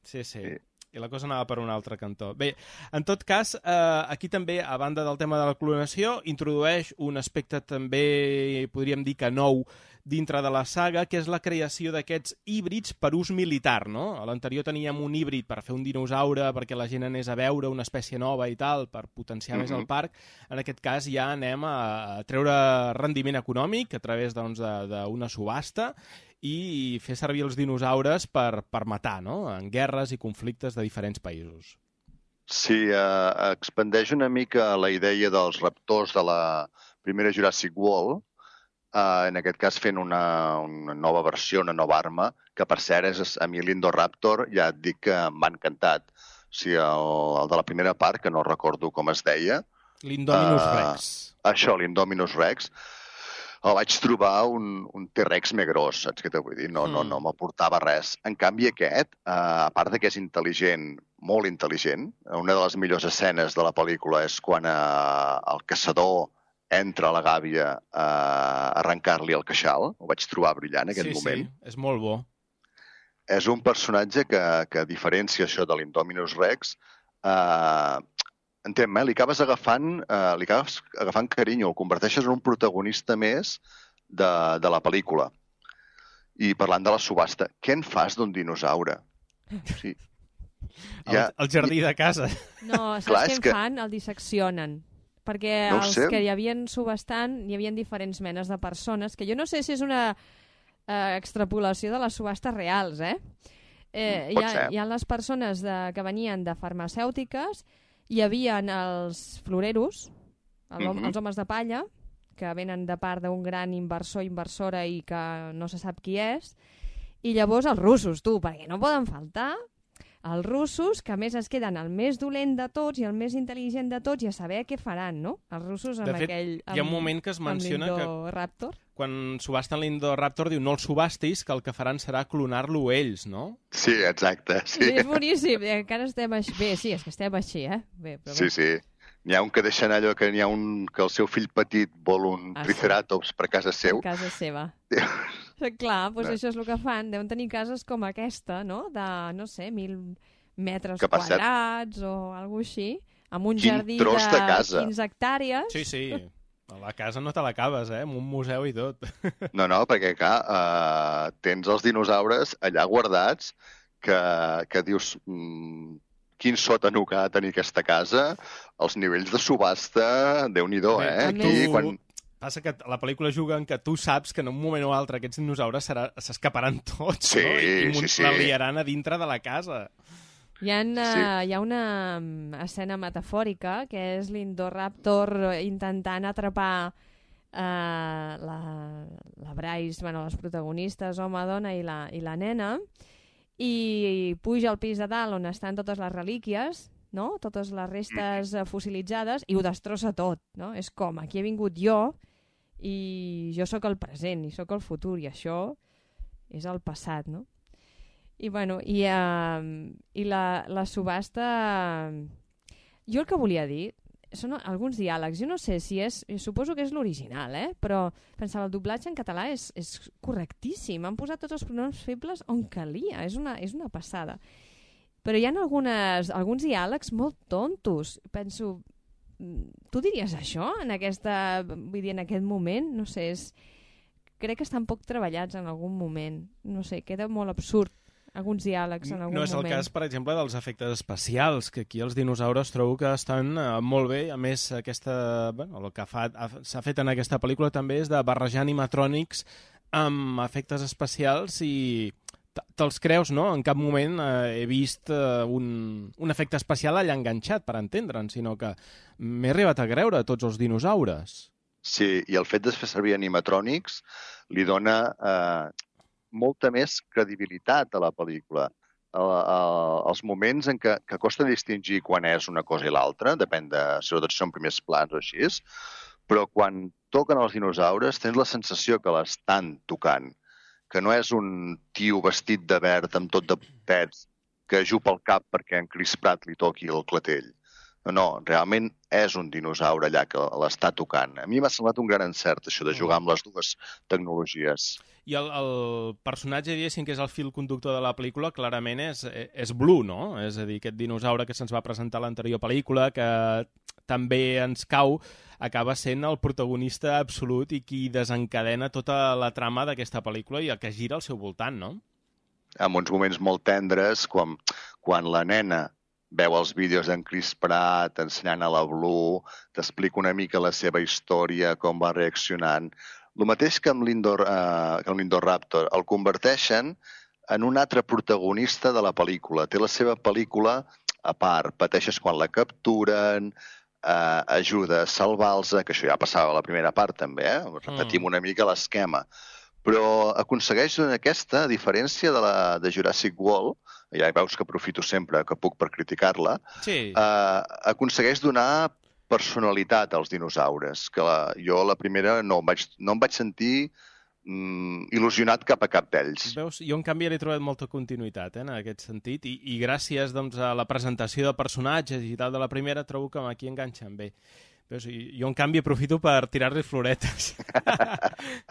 Sí, sí. Sí. I la cosa anava per un altre cantó. Bé, en tot cas, eh, aquí també, a banda del tema de la clonació, introdueix un aspecte també, podríem dir que nou, dintre de la saga, que és la creació d'aquests híbrids per ús militar, no? A l'anterior teníem un híbrid per fer un dinosaure, perquè la gent anés a veure una espècie nova i tal, per potenciar mm-hmm. més el parc. En aquest cas ja anem a treure rendiment econòmic a través doncs, d'una subhasta i fer servir els dinosaures per, per matar, no?, en guerres i conflictes de diferents països. Sí, eh, expandeix una mica la idea dels raptors de la primera Jurassic World, eh, en aquest cas fent una, una nova versió, una nova arma, que per cert és a mi l'Indoraptor, ja et dic que m'ha encantat. O sigui, el, el de la primera part, que no recordo com es deia. L'Indominus eh, Rex. Això, l'Indominus Rex. El vaig trobar un, un T-Rex més gros, saps què t'ho vull dir? No, mm. no, no m'aportava res. En canvi, aquest, eh, a part de que és intel·ligent, molt intel·ligent, una de les millors escenes de la pel·lícula és quan eh, el caçador entra a la gàbia a arrencar-li el queixal. Ho vaig trobar brillant, en aquell sí, moment. Sí, és molt bo. És un personatge que, que a diferència això de l'Indominus Rex, eh, entén, eh? li acabes agafant, eh, li acabes agafant carinyo, el converteixes en un protagonista més de, de la pel·lícula. I parlant de la subhasta, què en fas d'un dinosaure? Sí. Ja, el, el jardí de casa. No, saps Clar, què és en que... fan? El disseccionen. Perquè No ho els sé. que hi havien subhastant, hi havia diferents menes de persones, que jo no sé si és una eh, extrapolació de les subhastes reals, eh? eh hi, Pot ha, ser. hi ha les persones de, que venien de farmacèutiques, hi havia els floreros, el, Mhm. els homes de palla, que venen de part d'un gran inversor, inversora i que no se sap qui és, i llavors els russos, tu, perquè no poden faltar els russos, que a més es queden el més dolent de tots i el més intel·ligent de tots i a saber què faran, no? Els russos amb De fet, aquell... Amb, hi ha un moment que es menciona que Raptor. quan subasten l'Indoraptor diu no el subhastis, que el que faran serà clonar-lo ells, no? Sí, exacte. Sí, Sí, és boníssim. Encara estem així. Bé, sí, és que estem així, eh? Bé, però sí. bé. sí. N'hi ha un que deixa anar allò que n'hi ha un que el seu fill petit vol un Ah, sí. triceratops per casa seu. A casa seva. Clar, doncs No. això és el que fan. Deuen tenir cases com aquesta, no? De, no sé, mil metres Que per cert- quadrats o alguna així, amb un Quin jardí tros de casa. quinze hectàrees. Sí, sí. A la casa no te l'acabes, eh? Amb un museu i tot. No, no, perquè, clar, eh, tens els dinosaures allà guardats que, que dius mm, quin sòtano que ha de tenir aquesta casa, els nivells de subhasta, Déu-n'hi-do, Bé, eh? a Aquí, més- quan... Passa que la pel·lícula juga en que tu saps que en un moment o altre aquests dinosaures serà- s'escaparan tots, Sí, no? I, i sí, sí. la liaran a dintre de la casa. Hi ha, uh, Sí. hi ha una um, escena metafòrica que és l'Indoraptor intentant atrapar uh, la, la Bryce, bueno, les protagonistes, home, dona i la, i la nena, i puja al pis de dalt on estan totes les relíquies, no? Totes les restes uh, fossilitzades, i ho destrossa tot, no? És com, aquí he vingut jo i jo sóc el present i sóc el futur i això és el passat, no? I, bueno, i, uh, i la, la subhasta... Jo el que volia dir són alguns diàlegs. Jo no sé si és... Suposo que és l'original, eh? Però pensava, el doblatge en català és, és correctíssim. Han posat tots els pronoms febles on calia. És una, és una passada. però hi ha algunes, alguns diàlegs molt tontos. Penso, tu diries això en aquesta, vull dir, en aquest moment? No sé, és, crec que estan poc treballats en algun moment. No sé, queda molt absurd alguns diàlegs en algun moment. No és el cas, per exemple, dels efectes especials, que aquí els dinosaures trobo que estan eh, molt bé. A més, aquesta, bueno, el que fa, s'ha fet en aquesta pel·lícula també és de barrejar animatrònics amb efectes especials i te'ls creus, no? En cap moment eh, he vist eh, un, un efecte especial allà enganxat, per entendre'n, sinó que m'he arribat a creure tots els dinosaures. Sí, i el fet de fer servir animatrònics li dona eh, molta més credibilitat a la pel·lícula. El, el, els moments en què, que costa distingir quan és una cosa i l'altra, depèn de si són primers plans o així, però quan toquen els dinosaures tens la sensació que l'estan tocant, que no és un tio vestit de verd amb tot de pets que ajupa el cap perquè en Chris Pratt li toqui el clatell. No, no, realment és un dinosaure allà que l'està tocant. A mi m'ha semblat un gran encert, això de jugar amb les dues tecnologies. I el, el personatge, diguéssim, que és el fil conductor de la pel·lícula, clarament és, és Blue, no? És a dir, aquest dinosaure que se'ns va presentar a l'anterior pel·lícula, que també ens cau, acaba sent el protagonista absolut i qui desencadena tota la trama d'aquesta pel·lícula i el que gira al seu voltant, no? En uns moments molt tendres, quan, quan la nena veu els vídeos d'en Chris Pratt ensenyant a la Blue, t'explica una mica la seva història, com va reaccionant. El mateix que amb l'Indoraptor, el converteixen en un altre protagonista de la pel·lícula. Té la seva pel·lícula a part. Pateixes quan la capturen, eh, ajuda a salvar-los, que això ja passava a la primera part també, eh? Repetim mm. una mica l'esquema. Però aconsegueix en aquesta, a diferència de la de Jurassic World, ja veus que aprofito sempre que puc per criticar-la, sí. eh, aconsegueix donar personalitat als dinosaures, que la, jo la primera no em vaig, no em vaig sentir mm, il·lusionat cap a cap d'ells. Veus, jo en canvi he trobat molta continuïtat eh, en aquest sentit i, i gràcies doncs, a la presentació de personatges i tal de la primera trobo que aquí enganxen bé. Veus, jo en canvi aprofito per tirar-li floretes.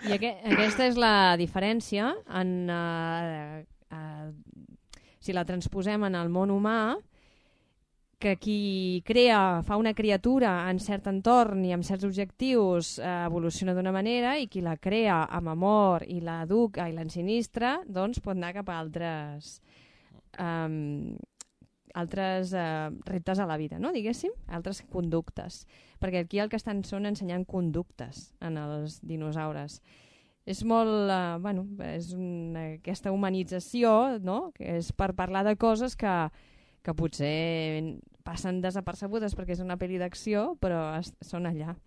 I aqu aquesta és la diferència en, uh, uh, si la transposem en el món humà, que qui crea, fa una criatura en cert entorn i amb certs objectius eh, evoluciona d'una manera i qui la crea amb amor i l'educa i l'ensinistra, doncs pot anar cap a altres, um, altres uh, reptes a la vida, no? Diguéssim, altres conductes. Perquè aquí el que estan són ensenyant conductes en els dinosaures. És molt, uh, bueno, és una, aquesta humanització, no? Que és per parlar de coses que que potser passen desapercebudes perquè és una pel·li d'acció, però es, són allà.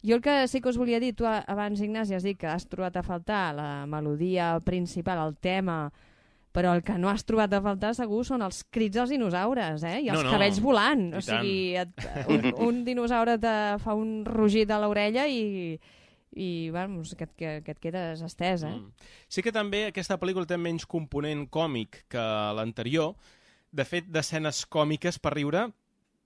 Jo el que sí que us volia dir, tu abans, Ignasi, has dit que has trobat a faltar la melodia principal, el tema, però el que no has trobat a faltar segur són els crits dels dinosaures, eh? I els no, no. cabells volant. I o sigui, et, un, un dinosaure te fa un rugit a l'orella i... i vamos, que, que, que et quedes estès, eh? Mm. Sí que també aquesta pel·lícula té menys component còmic que l'anterior. De fet, d'escenes còmiques per riure,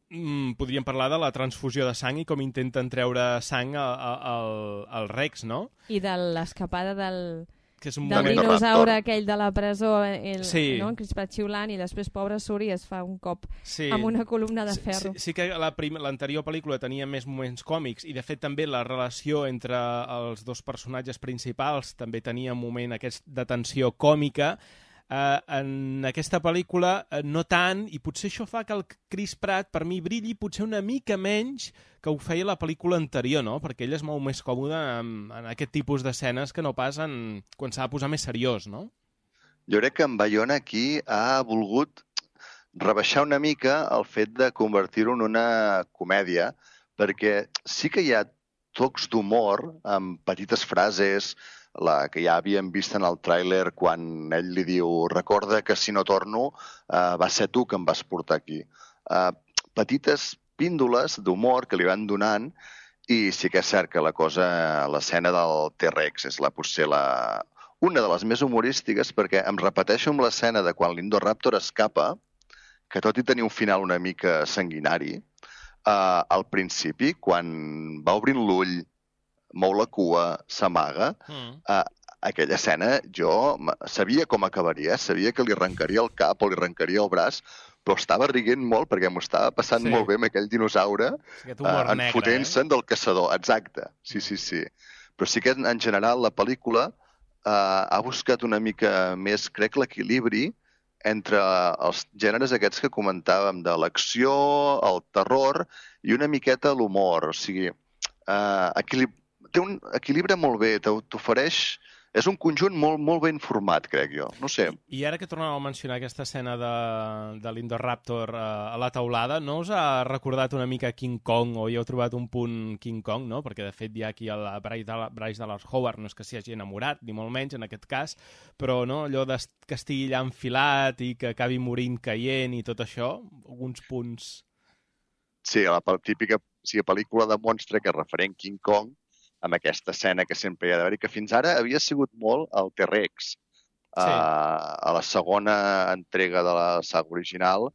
mmm, podríem parlar de la transfusió de sang i com intenten treure sang al Rex, no? I de l'escapada del, que és un del moment... dinosaure aquell de la presó, el, sí. no? Crispat xiulant, i després pobre surt i es fa un cop sí. amb una columna de ferro. Sí, sí que l'anterior pel·lícula tenia més moments còmics i, de fet, també la relació entre els dos personatges principals també tenia un moment aquest de tensió còmica. Uh, en aquesta pel·lícula uh, no tant, i potser això fa que el Chris Pratt per mi brilli potser una mica menys que ho feia la pel·lícula anterior, no? Perquè ell es mou més còmode en, en aquest tipus d'escenes que no pas en, quan s'ha de posar més seriós, no? Jo crec que en Bayona aquí ha volgut rebaixar una mica el fet de convertir-ho en una comèdia, perquè sí que hi ha tocs d'humor amb petites frases, la que ja havíem vist en el tràiler quan ell li diu recorda que si no torno uh, va ser tu que em vas portar aquí. Uh, petites píndoles d'humor que li van donant i sí que és cert que la cosa, l'escena del T-Rex és la, potser la, una de les més humorístiques perquè em repeteixo amb l'escena de quan l'Indoraptor escapa, que tot i tenir un final una mica sanguinari, uh, al principi, quan va obrint l'ull, mou la cua, s'amaga, mm. eh, aquella escena jo sabia com acabaria, sabia que li arrencaria el cap o li arrencaria el braç, però estava riguent molt perquè m'ho estava passant sí. molt bé amb aquell dinosaure, sí, uh, enfotent-se'n eh? del caçador. Exacte, sí, sí, sí. Però sí que en general la pel·lícula uh, ha buscat una mica més, crec, l'equilibri entre els gèneres aquests que comentàvem, de l'acció, el terror i una miqueta l'humor. O sigui, uh, equilib... té un equilibri molt bé, t'ofereix... És un conjunt molt, molt ben format, crec jo. No sé. I ara que tornàvem a mencionar aquesta escena de, de l'Indoraptor uh, a la taulada, no us ha recordat una mica King Kong, o hi heu trobat un punt King Kong, no? Perquè, de fet, hi ha aquí el Bryce Dallas Howard, no és que s'hi hagi enamorat, ni molt menys en aquest cas, però no, allò de, que estigui allà enfilat i que acabi morint caient i tot això, alguns punts... Sí, la típica sí, pel·lícula de monstre que és referent King Kong, amb aquesta escena que sempre hi ha d'haver, i que fins ara havia sigut molt el T-Rex. Sí. Uh, a la segona entrega de la saga original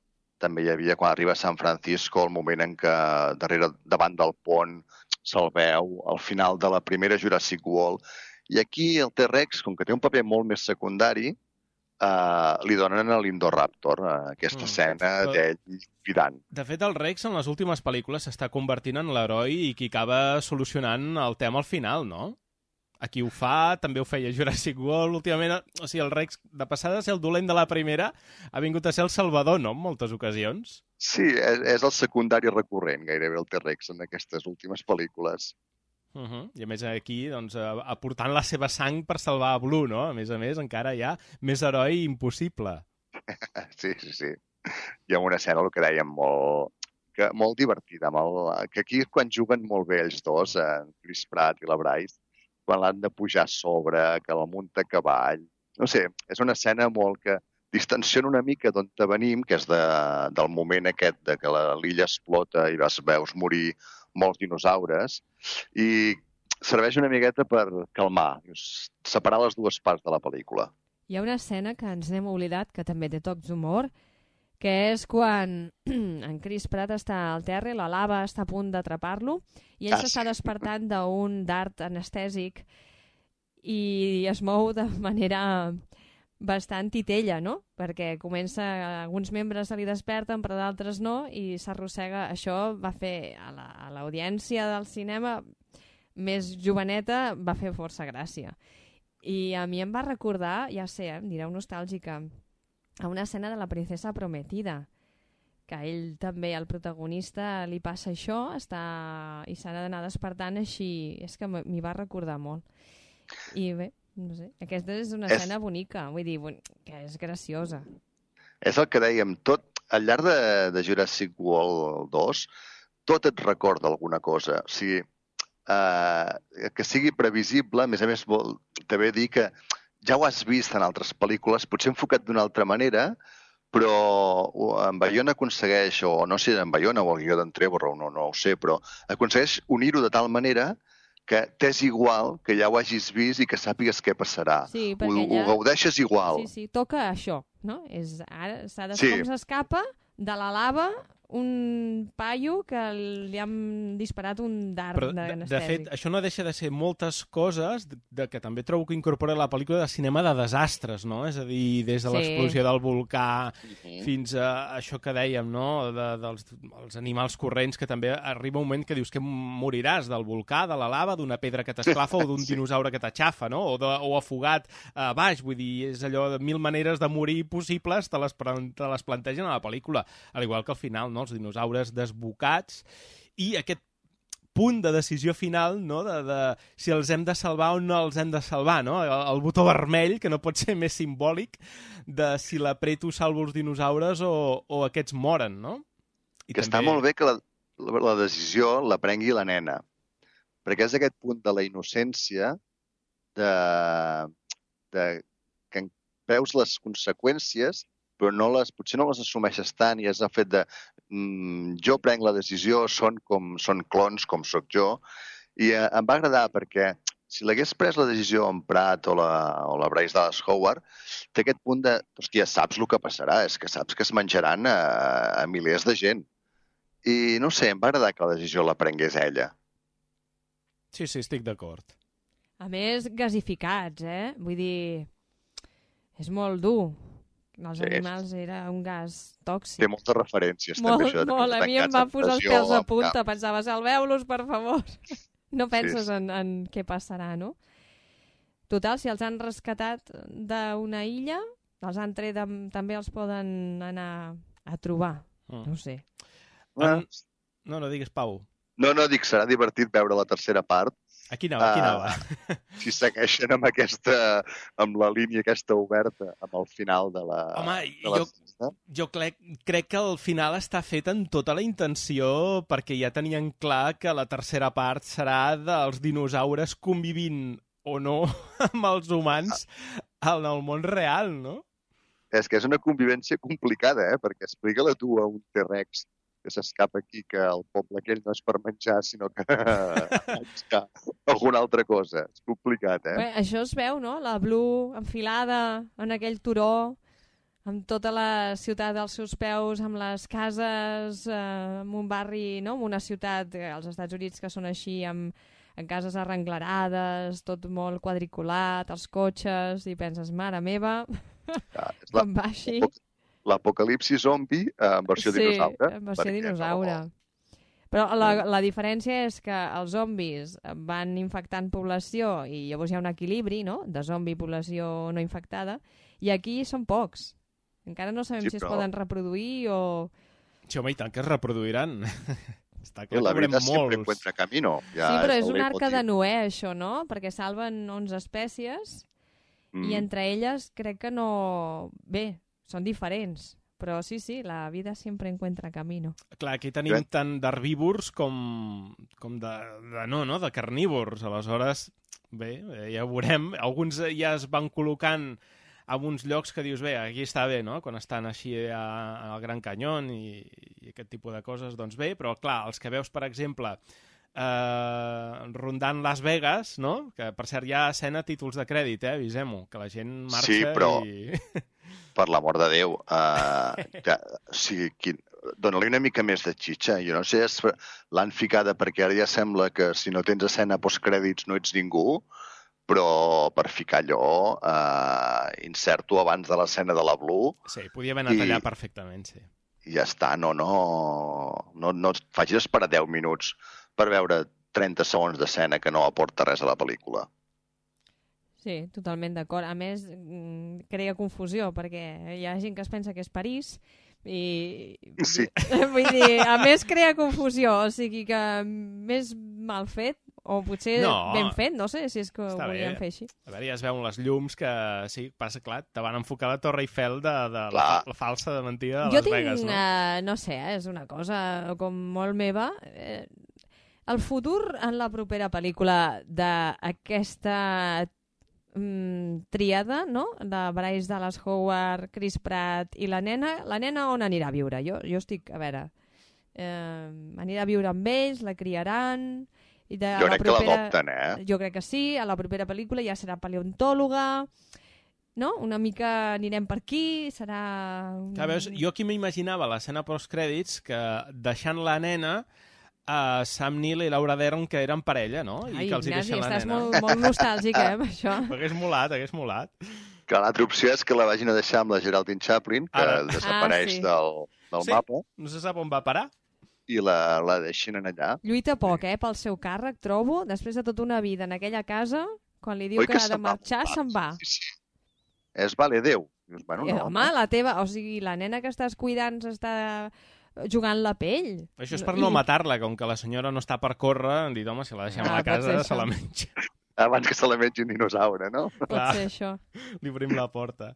també hi havia, quan arriba a San Francisco, el moment en què darrere, davant del pont se'l veu, al final de la primera Jurassic World. I aquí el T-Rex, com que té un paper molt més secundari, Uh, li donen a l'Indoraptor, uh, aquesta mm. escena Però... d'ell cridant. De fet, el Rex en les últimes pel·lícules s'està convertint en l'heroi i qui acaba solucionant el tema al final, no? Aquí ho fa, també ho feia Jurassic World últimament. O sigui, el Rex, de passada a ser el dolent de la primera, ha vingut a ser el salvador, no?, en moltes ocasions. Sí, és, és el secundari recurrent, gairebé, el T-Rex en aquestes últimes pel·lícules. Uh -huh. I a més aquí, doncs, aportant la seva sang per salvar a Blue, no? A més a més, encara hi ha més heroi impossible. Sí, sí, sí. Hi ha una escena, el que dèiem, molt, que, molt divertida, amb el, que aquí és quan juguen molt bé ells dos, en Chris Pratt i la Bryce, quan l'han de pujar a sobre, que la munta a cavall. No sé, és una escena molt que distensiona una mica d'on venim, que és de, del moment aquest de que l'illa explota i vas veus morir molts dinosaures, i serveix una miqueta per calmar, separar les dues parts de la pel·lícula. Hi ha una escena que ens n'hem oblidat, que també té tocs d'humor, que és quan en Chris Pratt està al terra i la lava està a punt d'atrapar-lo, i ell ah, s'està sí. despertant d'un dart anestèsic i es mou de manera bastant titella, no? Perquè comença, alguns membres se li desperten, però d'altres no, i s'arrossega. Això va fer a l'audiència la, del cinema més joveneta, va fer força gràcia. I a mi em va recordar, ja sé, em direu nostàlgica, a una escena de La princesa prometida, que a ell també, el protagonista, li passa això, està i s'ha d'anar despertant així. És que m'hi va recordar molt. I bé, no sé, aquesta és una escena és... bonica, vull dir, que és graciosa. És el que dèiem, tot, al llarg de, de Jurassic World dos, tot et recorda alguna cosa. O sigui, eh, que sigui previsible, a més a més, vol també dir que ja ho has vist en altres pel·lícules, potser enfocat d'una altra manera, però en Bayona aconsegueix, o no sé, en Bayona o el guió d'en Trevorrow, no, no ho sé, però aconsegueix unir-ho de tal manera que t'és igual, que ja ho hagis vist i que sàpigues què passarà. Sí, ho, ja... ho gaudeixes igual. Sí, sí, toca això, no? És, ara s'ha de sí. com s'escapa de la lava un paio que li han disparat un dart d'anestèsic. De, de fet, això no deixa de ser moltes coses de, de que també trobo que incorpora la pel·lícula de cinema de desastres, no? És a dir, des de sí. l'explosió del volcà uh-huh. fins a això que dèiem, no? De, dels els animals corrents, que també arriba un moment que dius que moriràs del volcà, de la lava, d'una pedra que t'esclafa o d'un sí. dinosaure que t'aixafa, no? O, de, o afogat a baix, vull dir, és allò de mil maneres de morir possibles, te les, te les plantegen a la pel·lícula, al igual que al final, no? Els dinosaures desbocats i aquest punt de decisió final, no? de, de si els hem de salvar o no els hem de salvar, no? El, el botó vermell, que no pot ser més simbòlic de si l'apreto salvo els dinosaures o, o aquests moren, no? I que també... està molt bé que la, la, la decisió la prengui la nena, perquè és aquest punt de la innocència de, de que veus les conseqüències però no les, potser no les assumeixes tant i és el fet de mm, jo prenc la decisió, són com són clons, com sóc jo, i eh, em va agradar perquè si l'hagués pres la decisió en Pratt o la, o la Bryce Dallas Howard, té aquest punt de, hòstia, saps el que passarà, és que saps que es menjaran a, a milers de gent. I no sé, em va agradar que la decisió la prengués ella. Sí, sí, estic d'acord. A més, gasificats, eh? Vull dir, és molt dur. Els Sí. animals era un gas tòxic. Té moltes referències, Molt, també, això. de molt. A mi em tancats va en posar els pressió, pèls a amb punta. cap. Pensava, salveu-los, per favor. No penses Sí. en, en què passarà, no? Total, si els han rescatat d'una illa, els han tret, amb, també els poden anar a trobar. Mm. No ho sé. Ah, En... No, no digues, Pau. No, no, dic, serà divertit veure la tercera part, Aquí anava, aquí Ah. anava. si segueixen amb aquesta, amb la línia aquesta oberta, amb el final de la... Home, de la jo- sexta. Jo crec, crec que el final està fet amb tota la intenció perquè ja tenien clar que la tercera part serà dels dinosaures convivint o no amb els humans en el món real, no? És que és una convivència complicada, eh? Perquè explica-la tu a un T-Rex que s'escapa aquí, que el poble aquell no és per menjar, sinó que buscar alguna altra cosa. És complicat, eh? Bé, això es veu, no? La Blue enfilada en aquell turó, amb tota la ciutat als seus peus, amb les cases, eh, en un barri, no? En una ciutat, eh, als Estats Units, que són així, amb, amb cases arrenglerades, tot molt quadriculat, els cotxes, i penses, mare meva, Ja, és la, com va així. l'apocalipsi zombi eh, en versió sí, dinosaure. en versió perquè dinosaure. no- Però la, la diferència és que els zombis van infectant població i llavors hi ha un equilibri, no?, de zombi i població no infectada, i aquí són pocs. Encara no sabem Sí, si es però- poden reproduir o... Sí, home, i tant que es reproduiran. Està Sí, clar la que veurem vida sempre molts. encuentra camino. Ja sí, però és el una arca leitmotiv. de Noé, això, no? Perquè salven onze espècies Mm. i entre elles crec que no... Bé, són diferents, però sí, sí, la vida sempre encuentra camino. Clar, aquí tenim Bé. tant d'herbívors com, com de, de, no, no, de carnívors. Aleshores, bé, eh, ja ho veurem. Alguns ja es van col·locant en uns llocs que dius, bé, aquí està bé, no?, quan estan així a, al Gran Canyón i, i aquest tipus de coses, doncs bé, però clar, els que veus, per exemple, eh, rondant Las Vegas, no?, que per cert hi ha escena títols de crèdit, eh, avisem-ho, que la gent marxa Sí, però- i... Per l'amor de Déu. Uh, que, o sigui, quin... dona-li una mica més de xitxa. Jo no sé, és... l'han ficada perquè ara ja sembla que si no tens escena postcrèdits no ets ningú, però per ficar allò, uh, inserto abans de l'escena de la Blue Sí, podia haver anat I- allà perfectament, sí. i ja està. No, no, no, no et facis esperar deu minuts per veure trenta segons d'escena que no aporta res a la pel·lícula. Sí, totalment d'acord. A més, mm, crea confusió, perquè hi ha gent que es pensa que és París i... Sí. Vull dir, a més crea confusió, o sigui que més mal fet, o potser No. ben fet, no sé si és que ho Està volien bé. fer així. A veure, ja es veuen les llums que, sí, passa, clar, te van enfocar la Torre Eiffel de, de la, Clar. la falsa de mentida de Jo Las tinc, Vegas, no? eh, no sé, eh, és una cosa com molt meva. Eh, el futur en la propera pel·lícula d'aquesta mm, tríada, no?, de Bryce Dallas Howard, Chris Pratt i la nena, la nena on anirà a viure? Jo, jo estic, a veure, eh, anirà a viure amb ells, la criaran... I de, Jo a la crec que propera- l'adopten, eh? Jo crec que sí, a la propera pel·lícula ja serà paleontòloga, no? Una mica anirem per aquí, serà... Un... Clar, veus, jo aquí m'imaginava l'escena postcrèdits que deixant la nena a Sam Neill i Laura Dern que eren parella, no? I Ai, que els hi Ignasi, deixen la estàs nena. molt, molt nostàlgic, eh, amb això. Hagués molat, hagués molat. Que l'altra opció és que la vagin a deixar amb la Geraldine Chaplin, que Ara. desapareix Ah, sí. del, del Sí. mapa, No se sap on va parar. i la, la deixin en allà. Lluita poc, eh, pel seu càrrec, trobo, després de tota una vida en aquella casa, quan li diu Oi que ha de se'n va? marxar, se'n va. Sí, sí. És vale, Déu. Dius, bueno, Eh, no, home, la teva, o sigui, la nena que estàs cuidant s'està jugant la pell. Això és per no I- matar-la, com que la senyora no està per córrer, han dit, home, si la deixem Ah, a la pot ser casa, això. se la menja. Abans que se la mengi un dinosaure, no? Pot Clar. ser això. Li obrim la porta.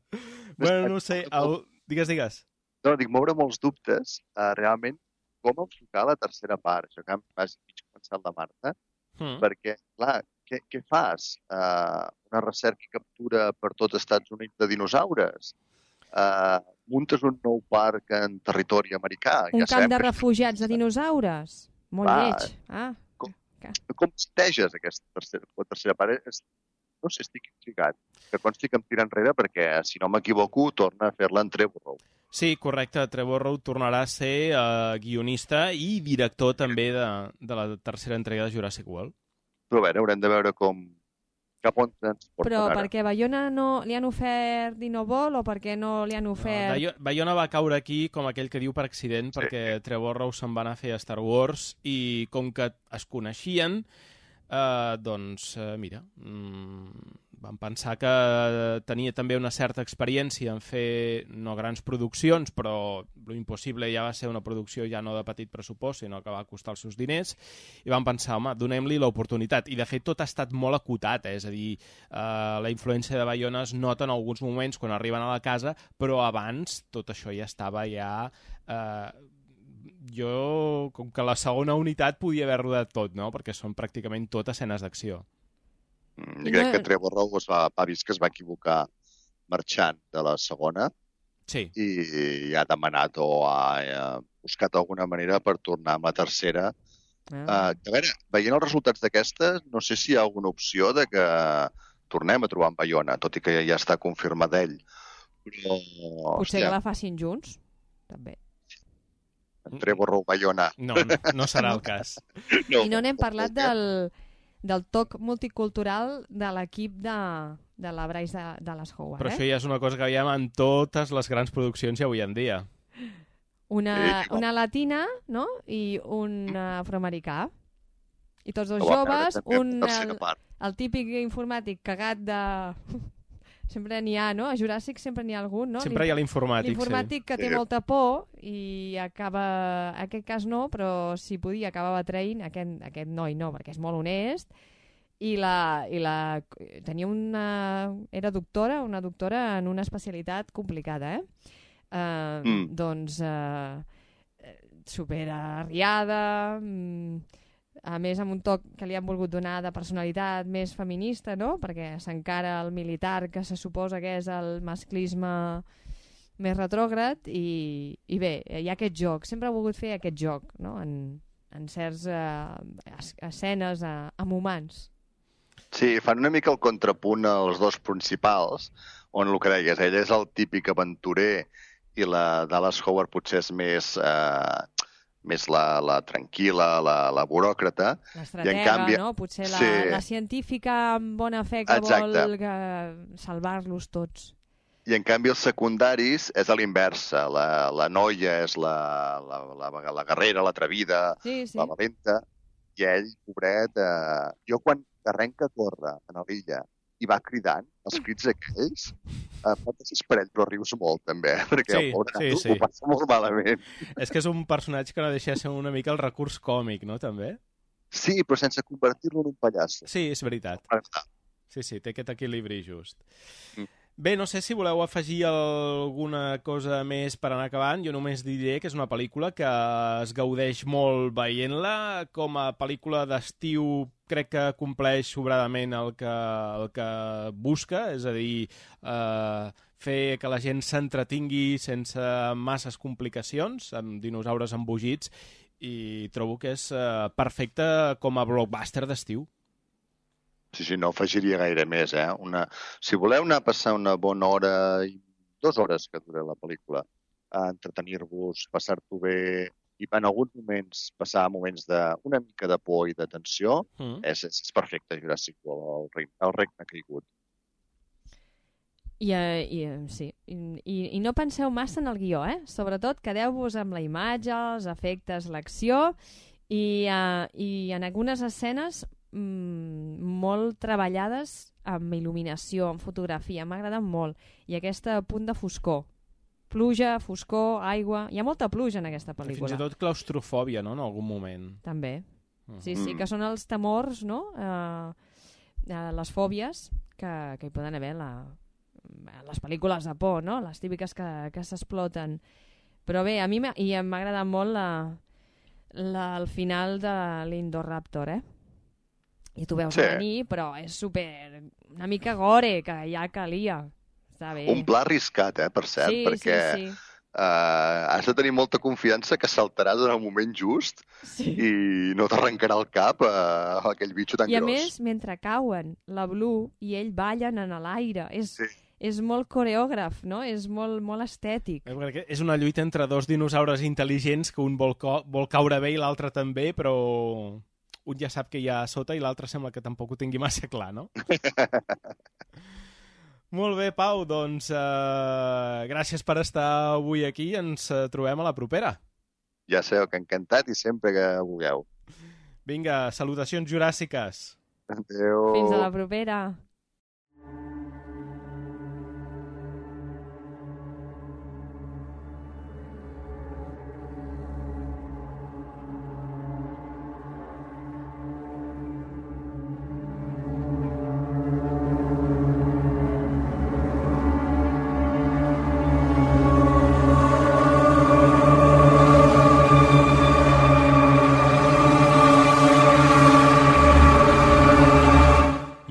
Bueno, no ho sé, el... digues, digues. No, dic, moure molts dubtes, uh, realment, com enfocar la tercera part. Això que vas mig començat la Marta, Mm. perquè, clar, què, què fas? Uh, una recerca i captura per tot els Estats Units de dinosaures? Uh, muntes un nou parc en territori americà? Un ja camp sabem de que això- refugiats de dinosaures. Molt Clar. lleig. Ah, Com esteges aquesta tercera, la tercera part? És, no sé, estic intrigat. Que consti que em tira enrere perquè, si no m'equivoco, torna a fer-la en Trevor. Sí, correcte. Trevor Rowe tornarà a ser uh, guionista i director també de, de la tercera entrega de Jurassic World. Però a veure, haurem de veure com, cap on transporten Però ara. perquè Bayona no li han ofert i no vol, o perquè no li han ofert... No, Bayona va caure aquí com aquell que diu per accident, Sí. perquè Trevor Rowe se'n va anar a fer a Star Wars i com que es coneixien, eh, doncs, eh, mira, mm, van pensar que tenia també una certa experiència en fer, no grans produccions, però lo impossible ja va ser una producció ja no de petit pressupost, sinó que va costar els seus diners, i van pensar, home, donem-li l'oportunitat. I de fet tot ha estat molt acotat, eh? És a dir, eh, la influència de Bayona es nota en alguns moments quan arriben a la casa, però abans tot això ja estava ja... Eh, jo, com que la segona unitat podia haver rodat tot, no? Perquè són pràcticament tot escenes d'acció. Mm, crec que Trevor Rowe es va, ha vist que es va equivocar marxant de la segona Sí. i ha demanat o ha, ha buscat alguna manera per tornar amb la tercera. Ah. Uh, a veure, veient els resultats d'aquestes, no sé si hi ha alguna opció de que tornem a trobar en Bayona, tot i que ja està confirmat ell. Però, Potser que la facin junts, també. Trevor Rowe, Bayona. No, no, no serà el cas. No, I no n'hem parlat del, del toc multicultural de l'equip de, de la Bryce de, de les Howard. Però eh? això ja és una cosa que veiem en totes les grans produccions avui en dia. Una, Sí, no. una latina, no? I un afroamericà. I tots dos ho vam veure joves, també en un, la tercera el, part. el típic informàtic cagat de... Sempre n'hi ha, no? A Juràssic sempre n'hi ha algun, no? Sempre hi ha l'informàtic, sí. L'informàtic que té Sí. molta por i acaba... En aquest cas no, però si podia acabava traint aquest, aquest noi no, perquè és molt honest. I la, i la... Tenia una... Era doctora, una doctora en una especialitat complicada, eh? Uh, Mm. Doncs uh, super arriada, mm, a més amb un toc que li han volgut donar de personalitat més feminista, no? Perquè s'encara el militar, que se suposa que és el masclisme més retrògrad, i, i bé, hi ha aquest joc, sempre ha volgut fer aquest joc, no? En, en certs uh, escenes uh, amb humans. Sí, fan una mica el contrapunt als dos principals, on el que deies, ell és el típic aventurer i la Dallas Howard potser és més, eh, més la, la tranquil·la, la, la buròcrata. L'estratega, canvi- no? Potser la, sí. la científica amb bona fe que Exacte. vol que salvar-los tots. I en canvi els secundaris és a l'inversa. La, la noia és la, la, la, la guerrera, l'atrevida, Sí, sí. la valenta, i ell, pobret, eh, jo quan arrenca a córrer a l'illa i va cridant, els crits aquells, eh, pot desesperar, però rius molt també, eh? Perquè Sí, el pobre sí, nano sí. ho passa molt malament. És que és un personatge que no deixa de ser una mica el recurs còmic, no, també? Sí, però sense convertir-lo en un pallasso. Sí, és veritat. M'agrada. Sí, sí, té aquest equilibri just. Mm. Bé, no sé si voleu afegir alguna cosa més per anar acabant. Jo només diré que és una pel·lícula que es gaudeix molt veient-la. Com a pel·lícula d'estiu crec que compleix sobradament el que, el que busca, és a dir, eh, fer que la gent s'entretingui sense masses complicacions, amb dinosaures embogits, i trobo que és eh, perfecte com a blockbuster d'estiu. Sí, sí, no afegiria gaire més, eh? Una... Si voleu anar a passar una bona hora, i dues hores que dura la pel·lícula, a entretenir-vos, passar-t'ho bé, i en alguns moments passar moments de una mica de por i de tensió, Mm. és, és, és perfecte, Jurassic World, el regne, el regne caigut. I, eh, i, eh, sí. I, i, I no penseu massa en el guió, eh? Sobretot quedeu-vos amb la imatge, els efectes, l'acció, i, eh, i en algunes escenes mm, molt treballades amb il·luminació, amb fotografia. M'agraden molt. I aquest punt de foscor. Pluja, foscor, aigua... Hi ha molta pluja en aquesta pel·lícula. Fins i tot claustrofòbia, no?, en algun moment. També. Mm. Sí, sí, que són els temors, no? Eh, eh, les fòbies que, que hi poden haver la, les pel·lícules de por, no? Les típiques que, que s'exploten. Però bé, a mi m'ha i m'ha agradat molt la, la, el final de l'Indoraptor, eh? I tu veus Sí. a venir, però és super... una mica gore, que ja calia. Està bé. Un pla arriscat, eh, per cert, sí, perquè sí, sí. Uh, has de tenir molta confiança que saltarà durant un moment just Sí. i no t'arrencarà el cap a uh, aquell bitxo tan I a gros. més, mentre cauen, la Blue i ell ballen en l'aire. És, Sí. és molt coreògraf, no? És molt, molt estètic. Eh, perquè és una lluita entre dos dinosaures intel·ligents que un vol, co vol caure bé i l'altre també, però un ja sap que hi ha a sota i l'altre sembla que tampoc ho tingui massa clar, no? Molt bé, Pau, doncs eh, gràcies per estar avui aquí i ens eh, trobem a la propera. Ja sabeu que encantat i sempre que vulgueu. Vinga, salutacions juràssiques. Adéu. Fins a la propera.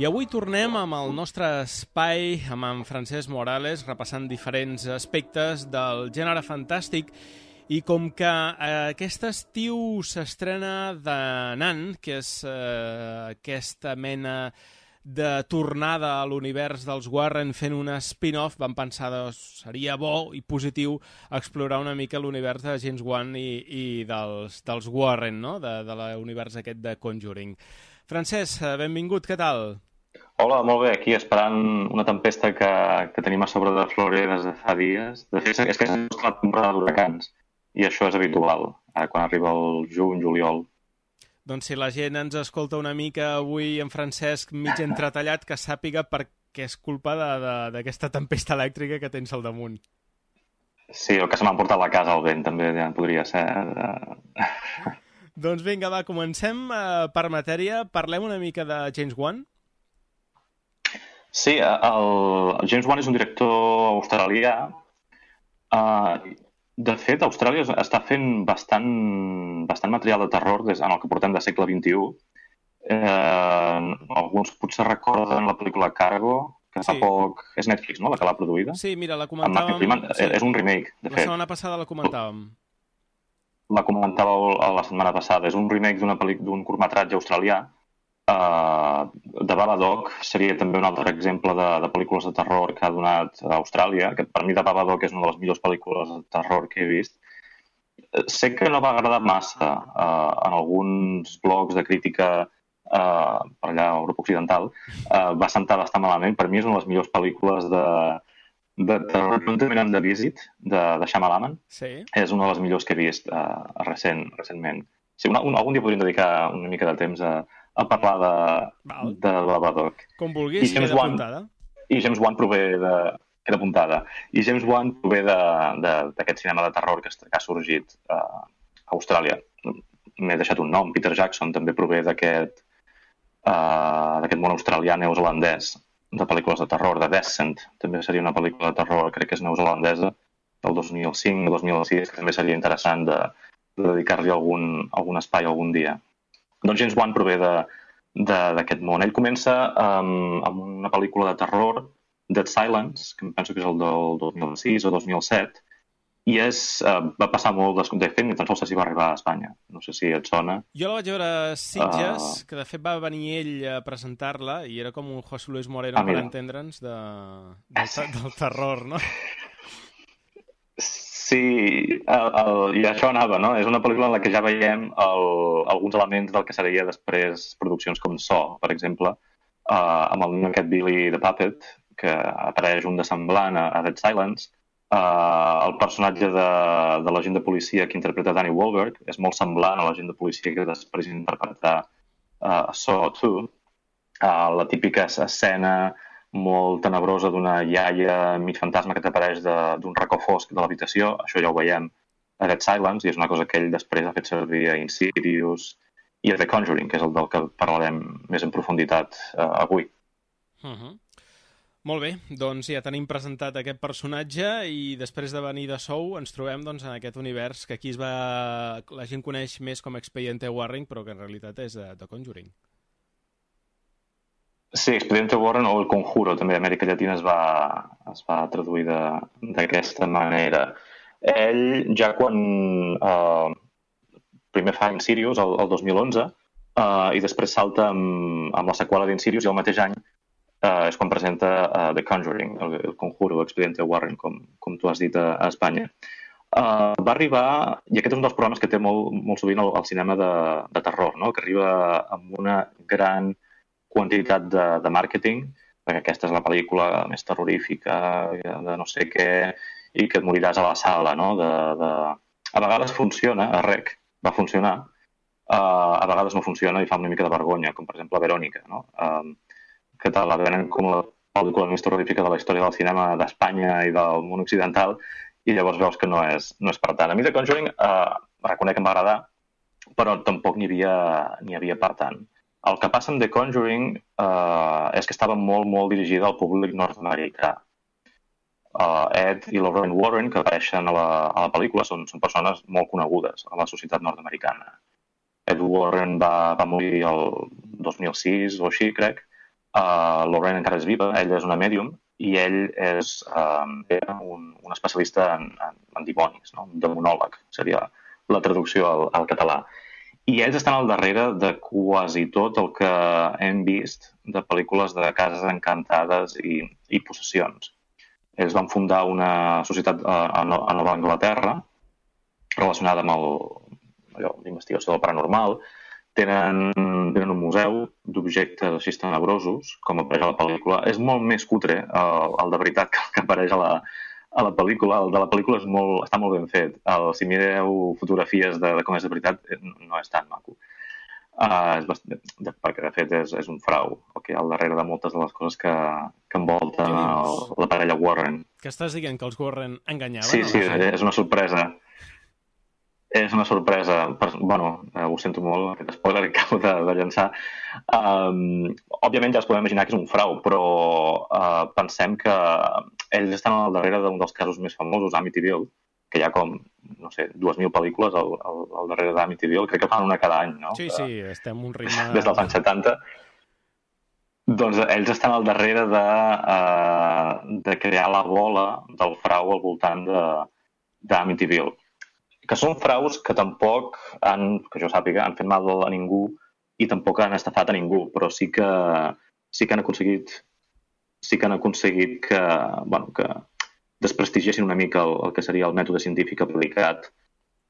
I avui tornem amb el nostre espai, amb en Francesc Morales, repassant diferents aspectes del gènere fantàstic. I com que eh, aquest estiu s'estrena The Nun, que és eh, aquesta mena de tornada a l'univers dels Warren fent un spin-off, vam pensar que seria bo i positiu explorar una mica l'univers de James Wan i, i dels, dels Warren, no? de, de l'univers aquest de Conjuring. Francesc, benvingut, què tal? Hola, molt bé, aquí esperant una tempesta que, que tenim a sobre de Florida des de fa dies. De fet, és que és la temporada d'huracans i això és habitual, eh, quan arriba el juny, juliol. Doncs si la gent ens escolta una mica avui en Francesc mig entretallat, que sàpiga per què és culpa d'aquesta tempesta elèctrica que tens al damunt. Sí, el que se m'ha portat a la casa al vent també ja podria ser. Doncs vinga, va, comencem eh, per matèria. Parlem una mica de James Wan. Sí, el James Wan és un director australià. Uh, de fet, Austràlia està fent bastant, bastant material de terror des, en el que portem de segle vint-i-u. Uh, alguns potser recorden la pel·lícula Cargo, que fa sí. poc... És Netflix, no?, la que l'ha produïda. Sí, mira, la comentàvem... Freeman, sí. És un remake, de la fet. La setmana passada la comentàvem. La comentàveu la setmana passada. És un remake d'una pel·lícula, d'un curtmetratge australià. Uh, de Babadook seria també un altre exemple de, de pel·lícules de terror que ha donat a Austràlia, que per mi de Babadook és una de les millors pel·lícules de terror que he vist. Sé que no va agradar massa uh, en alguns blogs de crítica uh, per allà a Europa Occidental, uh, va sentar bastant malament. Per mi és una de les millors pel·lícules de, de terror, juntament amb The Visit, de, de Shyamalan. Sí. És una de les millors que he vist uh, recent, recentment. Sí, una, un, algun dia podríem dedicar una mica de temps a a parlar de, de Babadook. Com vulguis, queda apuntada. I James Wan prové de... queda apuntada. I James Wan prové d'aquest cinema de terror que, que ha sorgit a Austràlia. M'he deixat un nom. Peter Jackson també prové d'aquest uh, d'aquest món australià neozelandès de pel·lícules de terror. The Descent també seria una pel·lícula de terror, crec que és neozelandesa, del dos mil cinc o dos mil sis, que també seria interessant de, de dedicar-li algun, algun espai algun dia. Doncs James Wan prové d'aquest món. Ell comença um, amb una pel·lícula de terror, Dead Silence, que em penso que és el del dos mil sis o dos mil set, i és, uh, va passar molt descompte, ni tan sols sé si va arribar a Espanya. No sé si et sona. Jo la vaig veure a Sitges, uh... que de fet va venir ell a presentar-la, i era com un José Luis Moreno, ah, per entendre'ns, de, del, del terror, no? Sí, el, el, i això anava, no? És una pel·lícula en la que ja veiem el, alguns elements del que seria després produccions com Saw, per exemple, uh, amb el nen aquest Billy the Puppet, que apareix un de semblant a, a Dead Silence. Uh, el personatge de, de l'agent de policia que interpreta Danny Wahlberg és molt semblant a l'agent de policia que després interpretarà uh, a Saw dos. Uh, la típica escena molt tenebrosa d'una iaia mig fantasma que t'apareix d'un racó fosc de l'habitació. Això ja ho veiem a Dead Silence i és una cosa que ell després ha fet servir a Insidious i a The Conjuring, que és el del que parlarem més en profunditat uh, avui. Uh-huh. Molt bé, doncs ja tenim presentat aquest personatge i després de venir de Sou ens trobem doncs, en aquest univers que aquí es va... la gent coneix més com Expediente Warren, però que en realitat és de, de Conjuring. Sí, Expediente Warren o El Conjuro, també a Amèrica Llatina es va, es va traduir d'aquesta manera. Ell, ja quan eh, primer fa Insidious, el, el dos mil onze, eh, i després salta amb, amb la seqüela d'Insidious, i el mateix any eh, és quan presenta eh, The Conjuring, el, el Conjuro, Expediente Warren, com, com tu has dit a, a Espanya. Uh, va arribar, i aquest és un dels problemes que té molt, molt sovint el, el cinema de, de terror, no? Que arriba amb una gran quantitat de, de màrqueting, perquè aquesta és la pel·lícula més terrorífica, de no sé què, i que et moriràs a la sala, no? De, de... A vegades funciona, a Rec va funcionar, uh, a vegades no funciona i fa una mica de vergonya, com per exemple Verònica, no? Uh, que tal, la venen com la pel·lícula més terrorífica de la història del cinema d'Espanya i del món occidental, i llavors veus que no és, no és per tant. A mi The Conjuring eh, reconec que em va agradar, però tampoc n'hi havia, n'hi havia per tant. El que passa amb The Conjuring eh, és que estava molt, molt dirigida al públic nord-americà. Uh, Ed i Lorraine Warren, que apareixen a la, a la pel·lícula, són, són persones molt conegudes a la societat nord-americana. Ed Warren va, va morir el dos mil sis o així, crec. Uh, Lorraine encara és viva, ella és una mèdium, i ell és um, un, un especialista en, en, en dimonis, no? Un demonòleg, seria la traducció al, al català. I ells estan al darrere de quasi tot el que hem vist de pel·lícules de cases encantades i, i possessions. Ells van fundar una societat a, a Nova Anglaterra relacionada amb l'investigació del paranormal. Tenen, tenen un museu d'objectes així tenebrosos, com apareix a la pel·lícula. És molt més cutre el, el de veritat que el que apareix a la, a la pel·lícula. El de la pel·lícula és molt, està molt ben fet. El, si mireu fotografies de, de com és de veritat, no és tan maco. Uh, és bast... de, perquè, de fet, és, és un frau, el que hi ha al darrere de moltes de les coses que, que envolten el, la parella Warren. Que estàs dient que els Warren enganyaven? Sí, sí, és una sorpresa. És una sorpresa. Bueno, eh, ho sento molt, aquest spoiler que acabo de, de llançar. Um, òbviament ja es podem imaginar que és un frau, però uh, pensem que ells estan al darrere d'un dels casos més famosos, Amityville, que hi ha com, no sé, dues mil pel·lícules al, al, al darrere d'Amityville. Crec que fan una cada any, no? Sí, sí, estem un ritme... Des dels anys setanta. Doncs ells estan al darrere de, uh, de crear la bola del frau al voltant d'Amityville. Que són fraus que tampoc han, que jo sàpiga, han fet mal a ningú i tampoc han estafat a ningú, però sí que sí que han aconseguit sí que han aconseguit que, bueno, que desprestigiessin una mica el, el que seria el mètode científic aplicat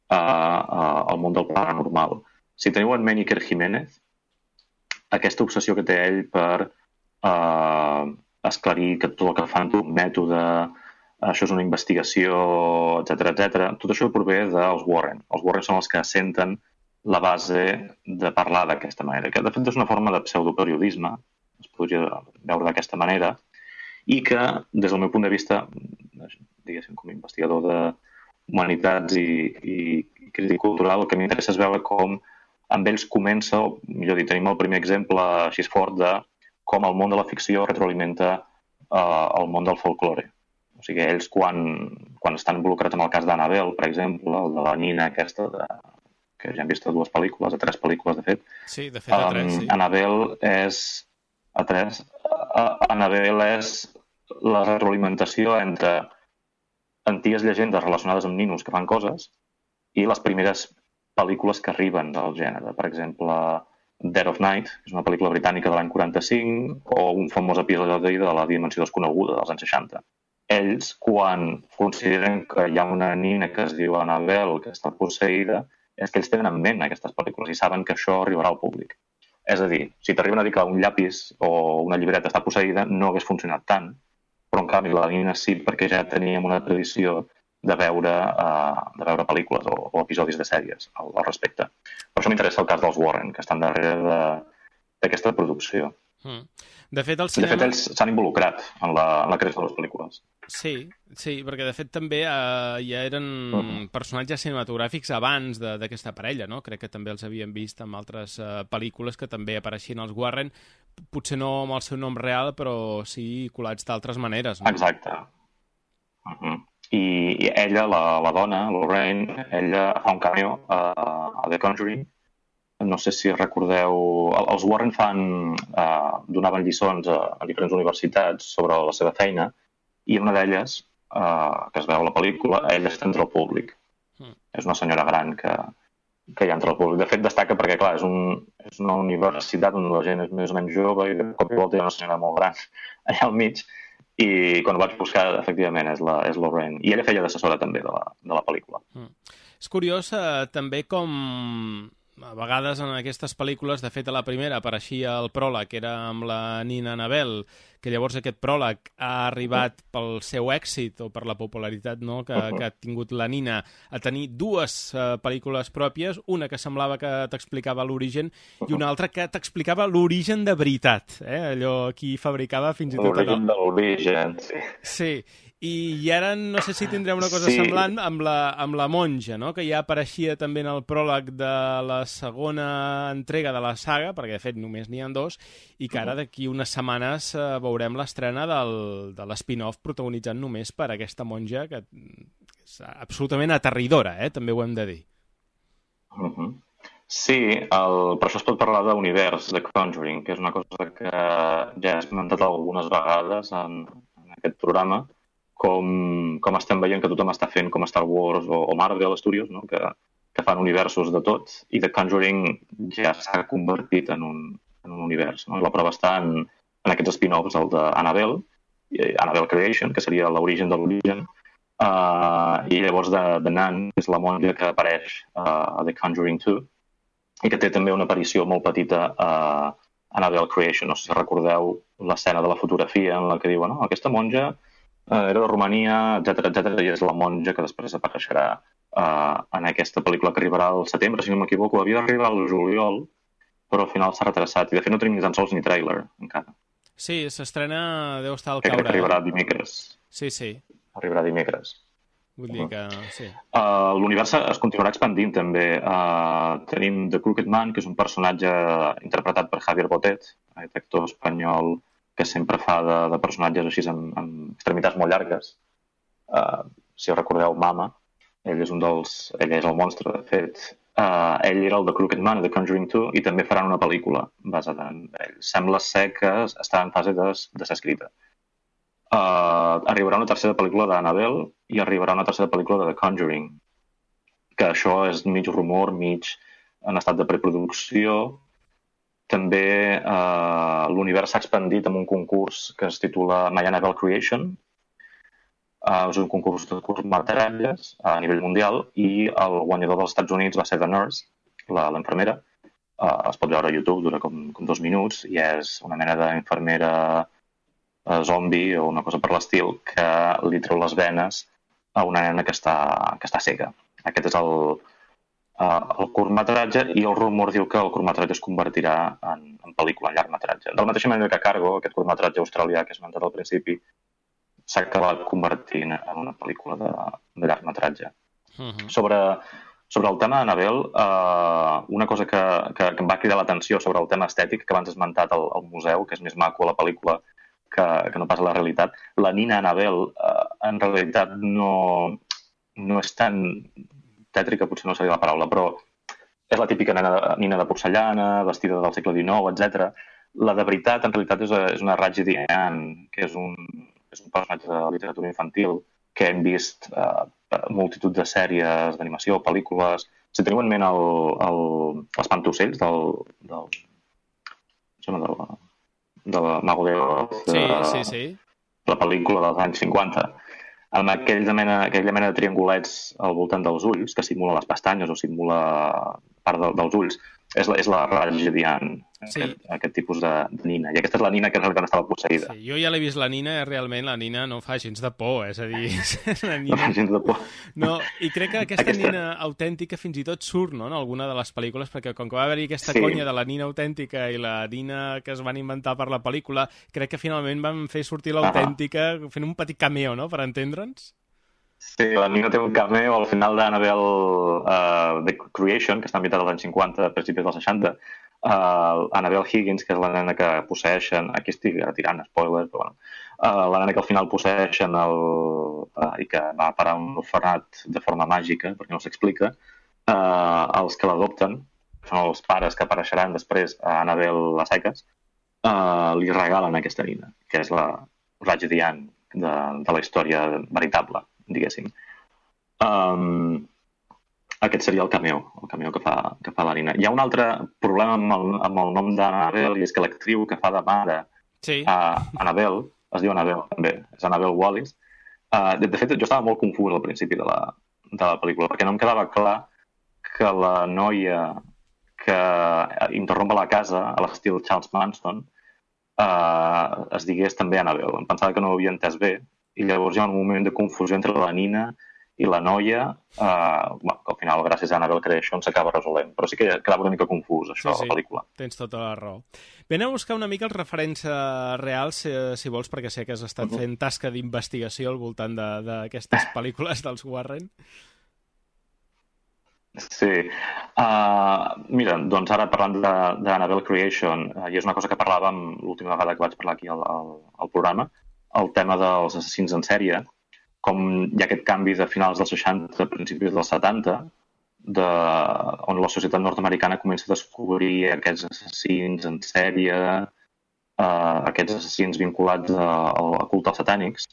a, a, al món del paranormal. Si teniu en ment Iker Jiménez, aquesta obsessió que té ell per uh, esclarir que tot el que fan té un mètode, això és una investigació, etcètera, etcètera. Tot això prové dels Warren. Els Warren són els que assenten la base de parlar d'aquesta manera, que de fet és una forma de pseudoperiodisme, es podria veure d'aquesta manera, i que, des del meu punt de vista, diguéssim, com a investigador d'humanitats i, i, i crític cultural, el que m'interessa és veure com amb ells comença, o millor dit, tenim el primer exemple així fort de com el món de la ficció retroalimenta uh, el món del folklore. O sigui, ells quan, quan estan involucrats en el cas d'Annabelle, per exemple, el de la nina aquesta, de, que ja hem vist a dues pel·lícules, a tres pel·lícules, de fet. Sí, de fet, a tres, sí. Um, Annabelle és... A tres. Uh, Annabelle és la retroalimentació entre antigues llegendes relacionades amb ninos que fan coses i les primeres pel·lícules que arriben del gènere. Per exemple, Dead of Night, que és una pel·lícula britànica de l'any quaranta-cinc, o un famós episodi de La dimensió desconeguda, dels anys seixanta. Ells, quan consideren que hi ha una nina que es diu Annabelle que està posseïda, és que ells tenen en ment aquestes pel·lícules i saben que això arribarà al públic. És a dir, si t'arriben a dir que un llapis o una llibreta està posseïda, no hagués funcionat tant, però en canvi la nina sí, perquè ja teníem una tradició de veure, uh, de veure pel·lícules o, o episodis de sèries al, al respecte. Per això m'interessa el cas dels Warren, que estan darrere d'aquesta producció. Mm. De fet, el cinema... De fet, ells s'han involucrat en la, en la creació de les pel·lícules. Sí, sí, perquè de fet també eh, ja eren uh-huh. personatges cinematogràfics abans d'aquesta parella, no? Crec que també els havíem vist en altres eh, pel·lícules que també apareixien els Warren, potser no amb el seu nom real, però sí colats d'altres maneres, no? Exacte. Uh-huh. I, I ella, la, la dona, Lorraine, ella fa un cameo a, a The Conjuring. No sé si recordeu... Els Warren fan, eh, donaven lliçons a, a diferents universitats sobre la seva feina i una d'elles, eh, que es veu a la pel·lícula, ella està entre el públic. Mm. És una senyora gran que, que hi ha entre el públic. De fet, destaca perquè, clar, és, un, és una universitat on la gent és més o menys jove i de cop i volta hi ha una senyora molt gran allà al mig I quan ho vaig buscar, efectivament, és la, és Lorraine. I ella feia d'assessora també de la, de la pel·lícula. Mm. És curiós eh, també com a vegades en aquestes pel·lícules, de fet a la primera apareixia el pròleg, que era amb la Nina Annabelle, que llavors aquest pròleg ha arribat pel seu èxit o per la popularitat, no?, que, que ha tingut la Nina, a tenir dues uh, pel·lícules pròpies, una que semblava que t'explicava l'origen i una altra que t'explicava l'origen de veritat, eh? Allò qui fabricava fins i tot... L'origen de l'origen, sí. Sí, i, i ara no sé si tindrem una cosa sí. semblant amb la, amb la monja, no?, que ja apareixia també en el pròleg de la segona entrega de la saga, perquè de fet només n'hi ha dos, i que ara d'aquí unes setmanes eh, veurem l'estrena del, de l'spin-off protagonitzant només per aquesta monja, que és absolutament aterridora, eh? També ho hem de dir. Uh-huh. Sí, el, per això es pot parlar d'univers, de Conjuring, que és una cosa que ja he esmentat algunes vegades en, en aquest programa, com, com estem veient que tothom està fent com Star Wars o, o Marvel Studios, no? que, que fan universos de tot, i The Conjuring ja s'ha convertit en un, en un univers. No? La prova està en, en aquests spin-offs, el d'Annabelle, Annabelle Creation, que seria l'origen de l'origen, uh, i llavors de, de Nan, que és la monja que apareix uh, a The Conjuring dos, i que té també una aparició molt petita a uh, Annabelle Creation. No sé si recordeu l'escena de la fotografia en la que diuen, no, aquesta monja Uh, era de Romania, etcètera, etcètera, i és la monja que després apareixerà uh, en aquesta pel·lícula que arribarà al setembre, si no m'equivoco. Havia d'arribar al juliol, però al final s'ha retrasat, i de fet no tenim ni tan sols ni tràiler encara. Sí, s'estrena, deu estar al caure. Crec que arribarà dimecres. Sí, sí. Arribarà dimecres. Vull dir que, sí. Uh, L'univers es continuarà expandint també. Uh, tenim The Crooked Man, que és un personatge interpretat per Javier Botet, aquest actor espanyol que sempre fa de, de personatges així amb, amb extremitats molt llargues. Uh, si recordeu Mama, ell és un dels... ell és el monstre, de fet. Uh, ell era el de Crooked Man, de Conjuring dos, i també faran una pel·lícula basada en ell. Sembla ser que està en fase de, de ser escrita. Uh, arribarà una tercera pel·lícula d'Annabelle i arribarà una tercera pel·lícula de The Conjuring, que això és mig rumor, mig en estat de preproducció. També eh, l'univers s'ha expandit amb un concurs que es titula My Annabelle Creation. Eh, és un concurs de curtmetratges a nivell mundial i el guanyador dels Estats Units va ser The Nurse, l'infermera. Eh, es pot veure a YouTube, dura com, com dos minuts i és una mena d'infermera eh, zombi o una cosa per l'estil que li treu les venes a una nena que està, que està cega. Aquest és el... Uh, el curtmetratge, i el rumor diu que el curtmetratge es convertirà en, en pel·lícula, en llargmetratge. De la mateixa manera que Cargo, aquest curtmetratge australià que he esmentat al principi, s'ha acabat convertint en una pel·lícula de, de llargmetratge. Uh-huh. Sobre, sobre el tema d'Annabelle, uh, una cosa que, que, que em va cridar l'atenció sobre el tema estètic, que abans he esmentat al, al museu, que és més maco a la pel·lícula que, que no pas a la realitat, la Nina Annabelle uh, en realitat no, no és tan... tètrica, potser no seria la paraula, però és la típica nena, nina de porcellana, vestida del segle dinou, etcètera. La de veritat, en realitat, és, és una Raggedy Ann, que és un, és un personatge de literatura infantil que hem vist eh, multitud de sèries d'animació, pel·lícules. Si teniu en ment el, el, l'Espantaocells del, del, del, del Mago de Oz, sí, de, sí, sí. la pel·lícula dels anys cinquanta, amb aquella mena, aquella mena de triangulets al voltant dels ulls, que simula les pestanyes o simula part de, dels ulls, és la, és la Raggedy Ann, sí. aquest, aquest tipus de, de nina. I aquesta és la nina que en realitat estava posseïda. Sí, jo ja l'he vist la nina, realment la nina no fa gens de por, és a dir... La nina... No fa gens de por. No, i crec que aquesta, aquesta nina autèntica fins i tot surt, no?, en alguna de les pel·lícules, perquè com que va haver-hi aquesta sí. conya de la nina autèntica i la nina que es van inventar per la pel·lícula, crec que finalment van fer sortir l'autèntica uh-huh. fent un petit cameo, no?, per entendre'ns. Sí, la Nina té un cameo al final d'Annabelle uh, The Creation, que està ambientat als anys cinquanta, a principis dels seixanta. Uh, Annabelle Higgins, que és la nena que posseixen... Aquí estic tirant spoilers, però bueno. Uh, la nena que al final posseixen el, uh, i que va parar un orfenat de forma màgica, perquè no s'explica, uh, els que l'adopten, que són els pares que apareixeran després a Annabelle a seques, uh, li regalen aquesta nina, que és la Raggedy Ann de, de la història veritable, diguéssim. Um, aquest seria el cameo, el cameo que fa, que fa la Nina. Hi ha un altre problema amb el, amb el nom d'Annabelle, i és que l'actriu que fa de mare sí. a Annabelle es diu Annabelle, també, és Annabelle Wallis. Uh, de, de fet, jo estava molt confús al principi de la, de la pel·lícula, perquè no em quedava clar que la noia que interrompa la casa, a l'estil Charles Manson, uh, es digués també Annabelle. Em pensava que no ho havia entès bé, i llavors hi ha un moment de confusió entre la Nina i la noia, uh, bueno, que al final, gràcies a Annabelle Creation, s'acaba resolent. Però sí que quedava una mica confús, això, sí, sí, la pel·lícula. Tens tota la raó. Vine a buscar una mica els referents reals, si, si vols, perquè sé que has estat uh -huh. fent tasca d'investigació al voltant d'aquestes pel·lícules dels Warren. Sí. Uh, mira, doncs ara parlant d'Annabelle Creation, uh, i és una cosa que parlàvem l'última vegada que vaig parlar aquí al, al, al programa, el tema dels assassins en sèrie, com hi ha aquest canvi de finals dels seixanta, principis dels setanta, de, on la societat nord-americana comença a descobrir aquests assassins en sèrie, uh, aquests assassins vinculats a, a culte als satànics.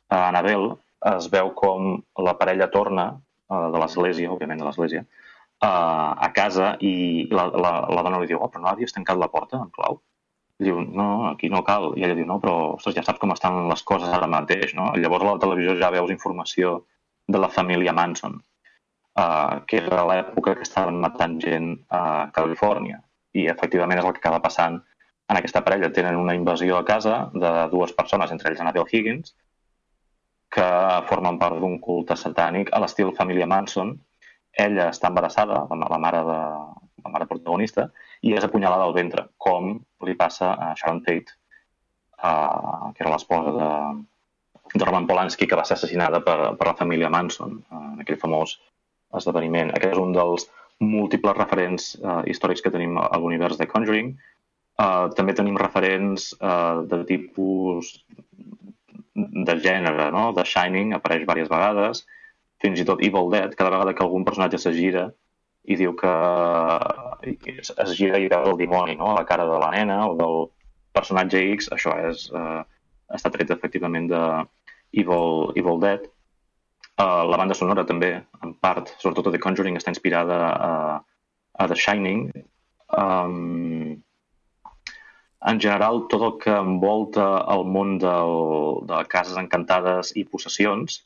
A Annabelle es veu com la parella torna uh, de l'església, òbviament de l'església, uh, a casa i la, la, la dona li diu, oh, però no havies tancat la porta en clau? Diu, no, aquí no cal. I ella diu, no, però ostres, ja saps com estan les coses ara mateix, no? I llavors a la televisió ja veus informació de la família Manson, uh, que era l'època que estaven matant gent a Califòrnia. I efectivament és el que acaba passant en aquesta parella. Tenen una invasió a casa de dues persones, entre ells Annabelle Higgins, que formen part d'un culte satànic a l'estil família Manson. Ella està embarassada, la mare de la mare protagonista, i és apunyalada al ventre, com li passa a Sharon Tate, uh, que era l'esposa de, de Roman Polanski, que va ser assassinada per, per la família Manson, uh, en aquell famós esdeveniment. Aquest és un dels múltiples referents uh, històrics que tenim a l'univers de Conjuring. Uh, també tenim referents uh, de tipus de gènere, no? The Shining apareix diverses vegades, fins i tot Evil Dead, cada vegada que algun personatge se gira i diu que es gira i veu el dimoni, no? A la cara de la nena o del personatge X, això és, eh, està tret efectivament de Evil, Evil Dead. Uh, la banda sonora també, en part, sobretot a The Conjuring, està inspirada a, a The Shining. Um, en general, tot el que envolta el món del, de cases encantades i possessions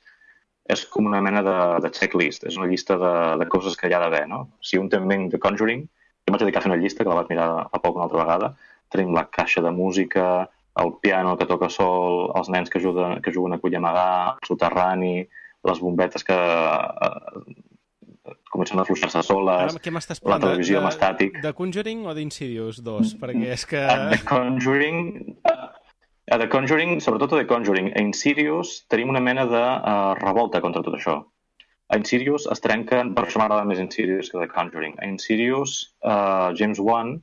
és com una mena de, de checklist, és una llista de, de coses que hi ha d'haver, no? Si un té en ment The Conjuring, jo vaig dedicar a fer una llista, que la vaig mirar fa poc una altra vegada, tenim la caixa de música, el piano que toca sol, els nens que juguen, que juguen a cull amagar, el soterrani, les bombetes que eh, comencen a afluixar-se soles, la televisió amb estàtic. De Conjuring o d'Insidious dos? Perquè és que... The Conjuring... A The Conjuring, sobretot a The Conjuring, a Insidious tenim una mena de uh, revolta contra tot això. A Insidious es trenquen, per això m'agrada més Insidious que The Conjuring. A Insidious, uh, James Wan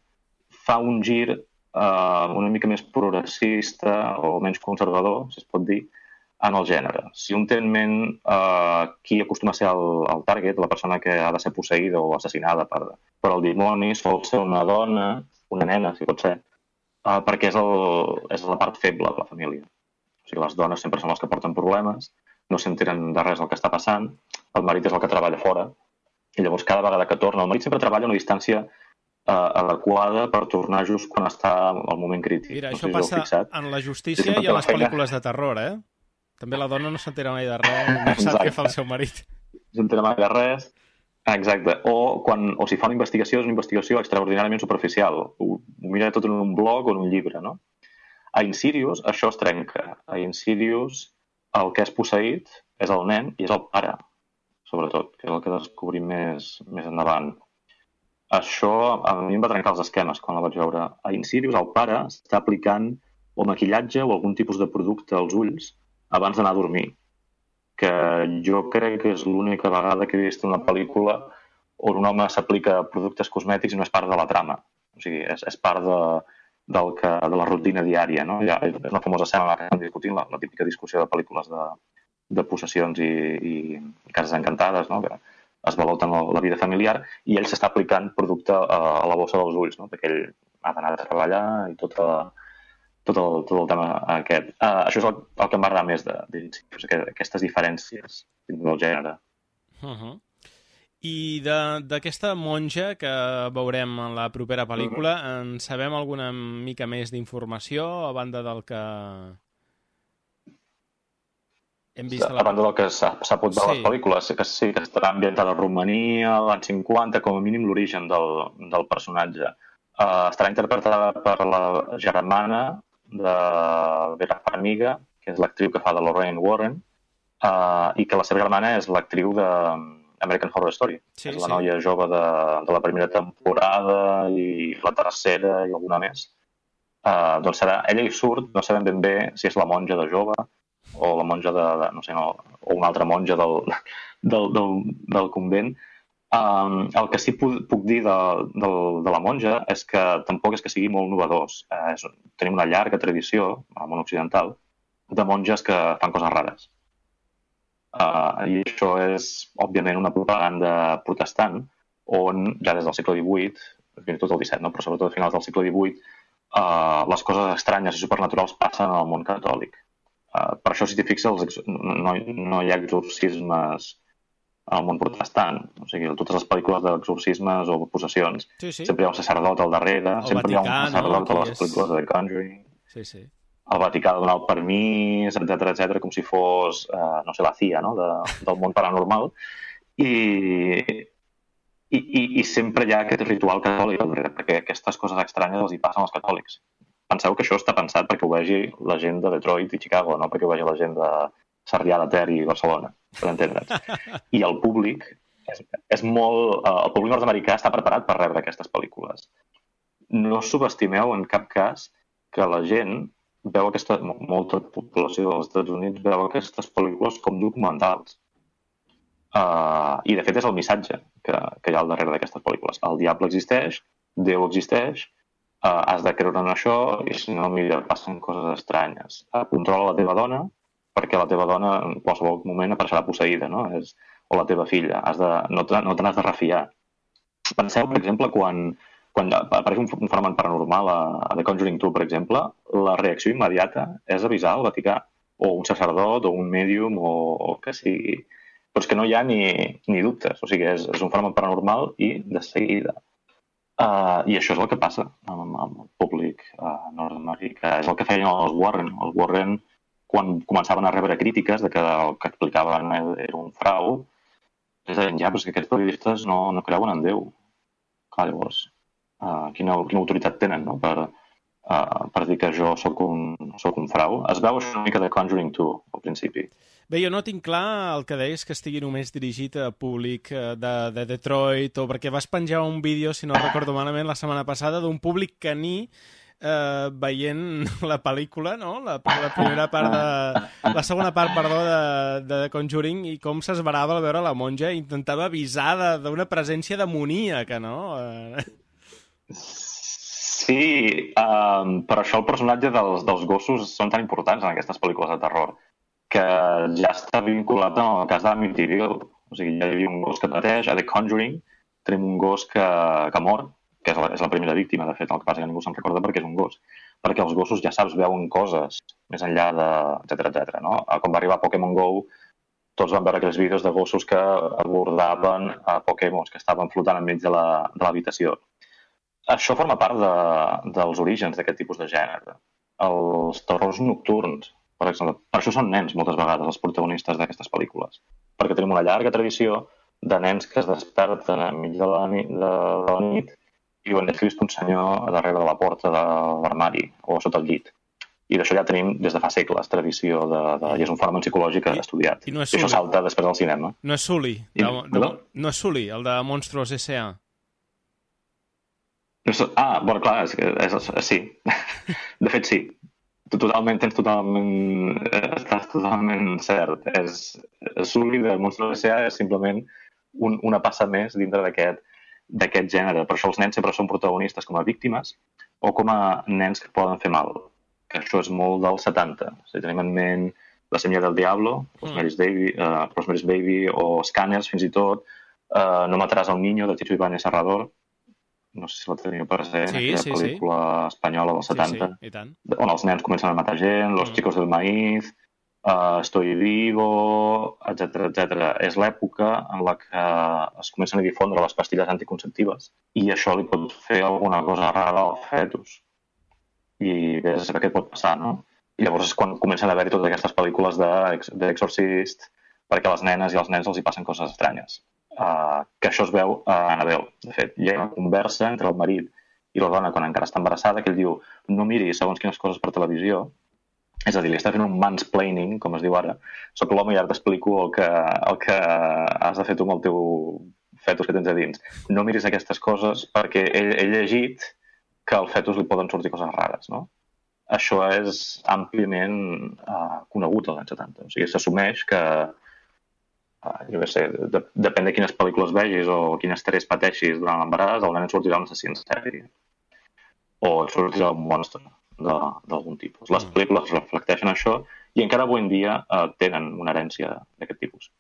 fa un gir uh, una mica més progressista o menys conservador, si es pot dir, en el gènere. Si un té en ment uh, qui acostuma a ser el, el target, la persona que ha de ser posseïda o assassinada per, per el dimoni, sol ser una dona, una nena, si pot ser, Uh, perquè és, el, és la part feble de la família. O sigui, les dones sempre són les que porten problemes, no s'enteren de res del que està passant, el marit és el que treballa fora, i llavors cada vegada que torna, el marit sempre treballa a una distància uh, adequada per tornar just quan està al moment crític. Mira, no això sé si passa fixat. En la justícia i a les pel·lícules de terror, eh? També la dona no s'entera mai de res, no sap què fa el seu marit. No s'entera mai de res. Exacte. O, quan, o si fa una investigació, és una investigació extraordinàriament superficial. Ho, ho mira tot en un blog o en un llibre, no? A Insidious això es trenca. A Insidious el que és posseït és el nen i és el pare, sobretot, que és el que descobrim més, més endavant. Això a mi em va trencar els esquemes quan la vaig veure. A Insidious el pare està aplicant o maquillatge o algun tipus de producte als ulls abans d'anar a dormir, que jo crec que és l'única vegada que he vist una pel·lícula on un home s'aplica productes cosmètics i no és part de la trama. O sigui, és, és part de, del que, de la rutina diària, no? Ja, és una famosa escena que estem discutint, la, la típica discussió de pel·lícules de, de possessions i, i cases encantades, no? Que es valoten la, la vida familiar, i ell s'està aplicant producte a, a la bossa dels ulls, no? Perquè ell ha d'anar a treballar i tot a, tot el, tot el tema aquest. Uh, això és el, el que em va agradar més de, de, de aquestes diferències del gènere. Uh-huh. I d'aquesta monja que veurem en la propera pel·lícula, uh-huh. en sabem alguna mica més d'informació a banda del que Hem vist a banda del que s'ha pogut veure a les pel·lícules, que sí que estarà ambientada a Romania, l'any cinquanta, com a mínim l'origen del, del personatge. Uh, estarà interpretada per la germana de Vera Farmiga, que és l'actriu que fa de Lorraine Warren, uh, i que la seva germana és l'actriu de American Horror Story. Sí, és la sí. noia jove de, de la primera temporada i la tercera i alguna més. Uh, doncs serà, ella hi surt, no sabem ben bé si és la monja de jove o la monja de, de no sé, no, o una altra monja del, del, del, del convent. Um, el que sí puc, puc dir de, de, de la monja és que tampoc és que sigui molt novedós. Uh, és, tenim una llarga tradició, al món occidental, de monges que fan coses rares. Uh, I això és, òbviament, una propaganda protestant, on ja des del segle divuit, fins i tot el disset, no? Però sobretot a finals del segle divuit, Uh, les coses estranyes i supernaturals passen al món catòlic. Uh, per això, si t'hi fixes, no, no hi ha exorcismes al món protestant. O sigui, totes les pel·lícules d'exorcismes o possessions, sí, sí. sempre hi ha un sacerdot al darrere, el sempre Vaticà, hi ha un sacerdot no? a les pel·lícules de The Conjuring. Sí, sí. El Vaticà ha de donar el permís, etcètera, etcètera, com si fos, uh, no sé, la C I A, no? de, del món paranormal. I... I, i, i sempre hi ha aquest ritual catòlic al darrere, perquè aquestes coses estranyes els hi passen als catòlics. Penseu que això està pensat perquè ho vegi la gent de Detroit i Chicago, no perquè ho vegi la gent de Sarrià de Ter i Barcelona, per entendre'ns. I el públic, és, és molt, el públic nord-americà està preparat per rebre aquestes pel·lícules. No subestimeu en cap cas que la gent veu aquesta, molta població dels Estats Units veu aquestes pel·lícules com documentals. Uh, I, de fet, és el missatge que, que hi ha al darrere d'aquestes pel·lícules. El diable existeix, Déu existeix, uh, has de creure en això i, si no, mira, passen coses estranyes. Uh, controla la teva dona, perquè la teva dona en qualsevol moment apareixerà posseïda, no? És, o la teva filla. Has de, no te, no te n'has de refiar. Penseu, per exemple, quan, quan apareix un, un fenomen paranormal a, a The Conjuring dos, per exemple, la reacció immediata és avisar al Vaticà, o un sacerdot, o un mèdium, o, o que sigui... Però és que no hi ha ni, ni dubtes. O sigui, és, és un fenomen paranormal i de seguida. Uh, I això és el que passa amb, amb el públic uh, nord-americà. És el que feien els Warren. Els Warren, quan començaven a rebre crítiques de que el que explicaven era un frau, es deien, ja, però és que aquests periodistes no, no creuen en Déu. Clar, llavors, uh, quina, quina autoritat tenen, no?, per, uh, per dir que jo sóc un, sóc un frau. Es veu això una mica de Conjuring dos, al principi. Bé, jo no tinc clar el que deies que estigui només dirigit a públic de, de Detroit, o perquè vas penjar un vídeo, si no recordo malament, la setmana passada, d'un públic caní eh, veient la pel·lícula, no? La, la primera part de... La segona part, perdó, de, de The Conjuring, i com s'esverava al veure la monja i intentava avisar d'una presència demoníaca, no? Sí, um, per això el personatge dels, dels gossos són tan importants en aquestes pel·lícules de terror, que ja està vinculat en el cas d'Amityville. O sigui, ja hi havia un gos que pateix. A The Conjuring tenim un gos que, que mor, que és la, és la primera víctima, de fet, el que passa que ningú se'n recorda perquè és un gos. Perquè els gossos, ja saps, veuen coses més enllà de... etcètera, etcètera, no? Quan va arribar Pokémon Go, tots van veure aquells vídeos de gossos que abordaven a Pokémons que estaven flotant enmig de l'habitació. Això forma part de, dels orígens d'aquest tipus de gènere. Els terrors nocturns, per exemple. Per això són nens, moltes vegades, els protagonistes d'aquestes pel·lícules. Perquè tenim una llarga tradició de nens que es desperten enmig de la nit, de, de la nit i diuen, he vist un senyor a darrere de la porta de l'armari o sota el llit. I d'això ja tenim des de fa segles tradició, de, de, i és un fenomen psicològic estudiat. I, no I això salta després del cinema. No és Sully, de, de, de, no és Sully, el de Monstruos S A Ah, bueno, clar, és, és, és, sí. De fet, sí. Totalment, tens totalment... Estàs totalment cert. És, Sully de Monstruos S A és simplement un, una passa més dintre d'aquest d'aquest gènere. Per això els nens sempre són protagonistes com a víctimes o com a nens que poden fer mal. Que això és molt dels setanta. Si tenim en ment La Semilla del Diablo, Rosemary's Baby, uh, Rosemary's Baby o Scanners, fins i tot, uh, No mataràs al niño, de Chicho Ibáñez Serrador. No sé si la teniu present, sí, aquella sí, pel·lícula sí. espanyola dels setanta, sí, sí, i tant. On els nens comencen a matar gent, Los mm. chicos del maíz, uh, Estoy vivo, etcètera, etcètera. És l'època en la que es comencen a difondre les pastilles anticonceptives i això li pot fer alguna cosa rara al fetus. I bé, és que què pot passar, no? I llavors és quan comencen a haver-hi totes aquestes pel·lícules d'Exorcist, perquè a les nenes i als nens els hi passen coses estranyes. Uh, que això es veu a Annabelle. De fet, hi ha una conversa entre el marit i la dona quan encara està embarassada, que ell diu, no miri segons quines coses per televisió. És a dir, li està fent un mansplaining, com es diu ara. Soc l'home i ara t'explico el que, el que has de fer tu amb el teu fetus que tens a dins. No miris aquestes coses perquè ell ha llegit que al fetus li poden sortir coses rares, no? Això és àmpliament uh, conegut als anys setanta. O sigui, s'assumeix que, uh, jo què sé, de, depèn de quines pel·lícules vegis o quin estrès pateixis durant l'embaràs, el nen et sortirà un assassí en sèrie. O et sortirà un monstre d'algun tipus. Les pel·lícules reflecteixen això i encara avui en dia uh, tenen una herència d'aquest tipus.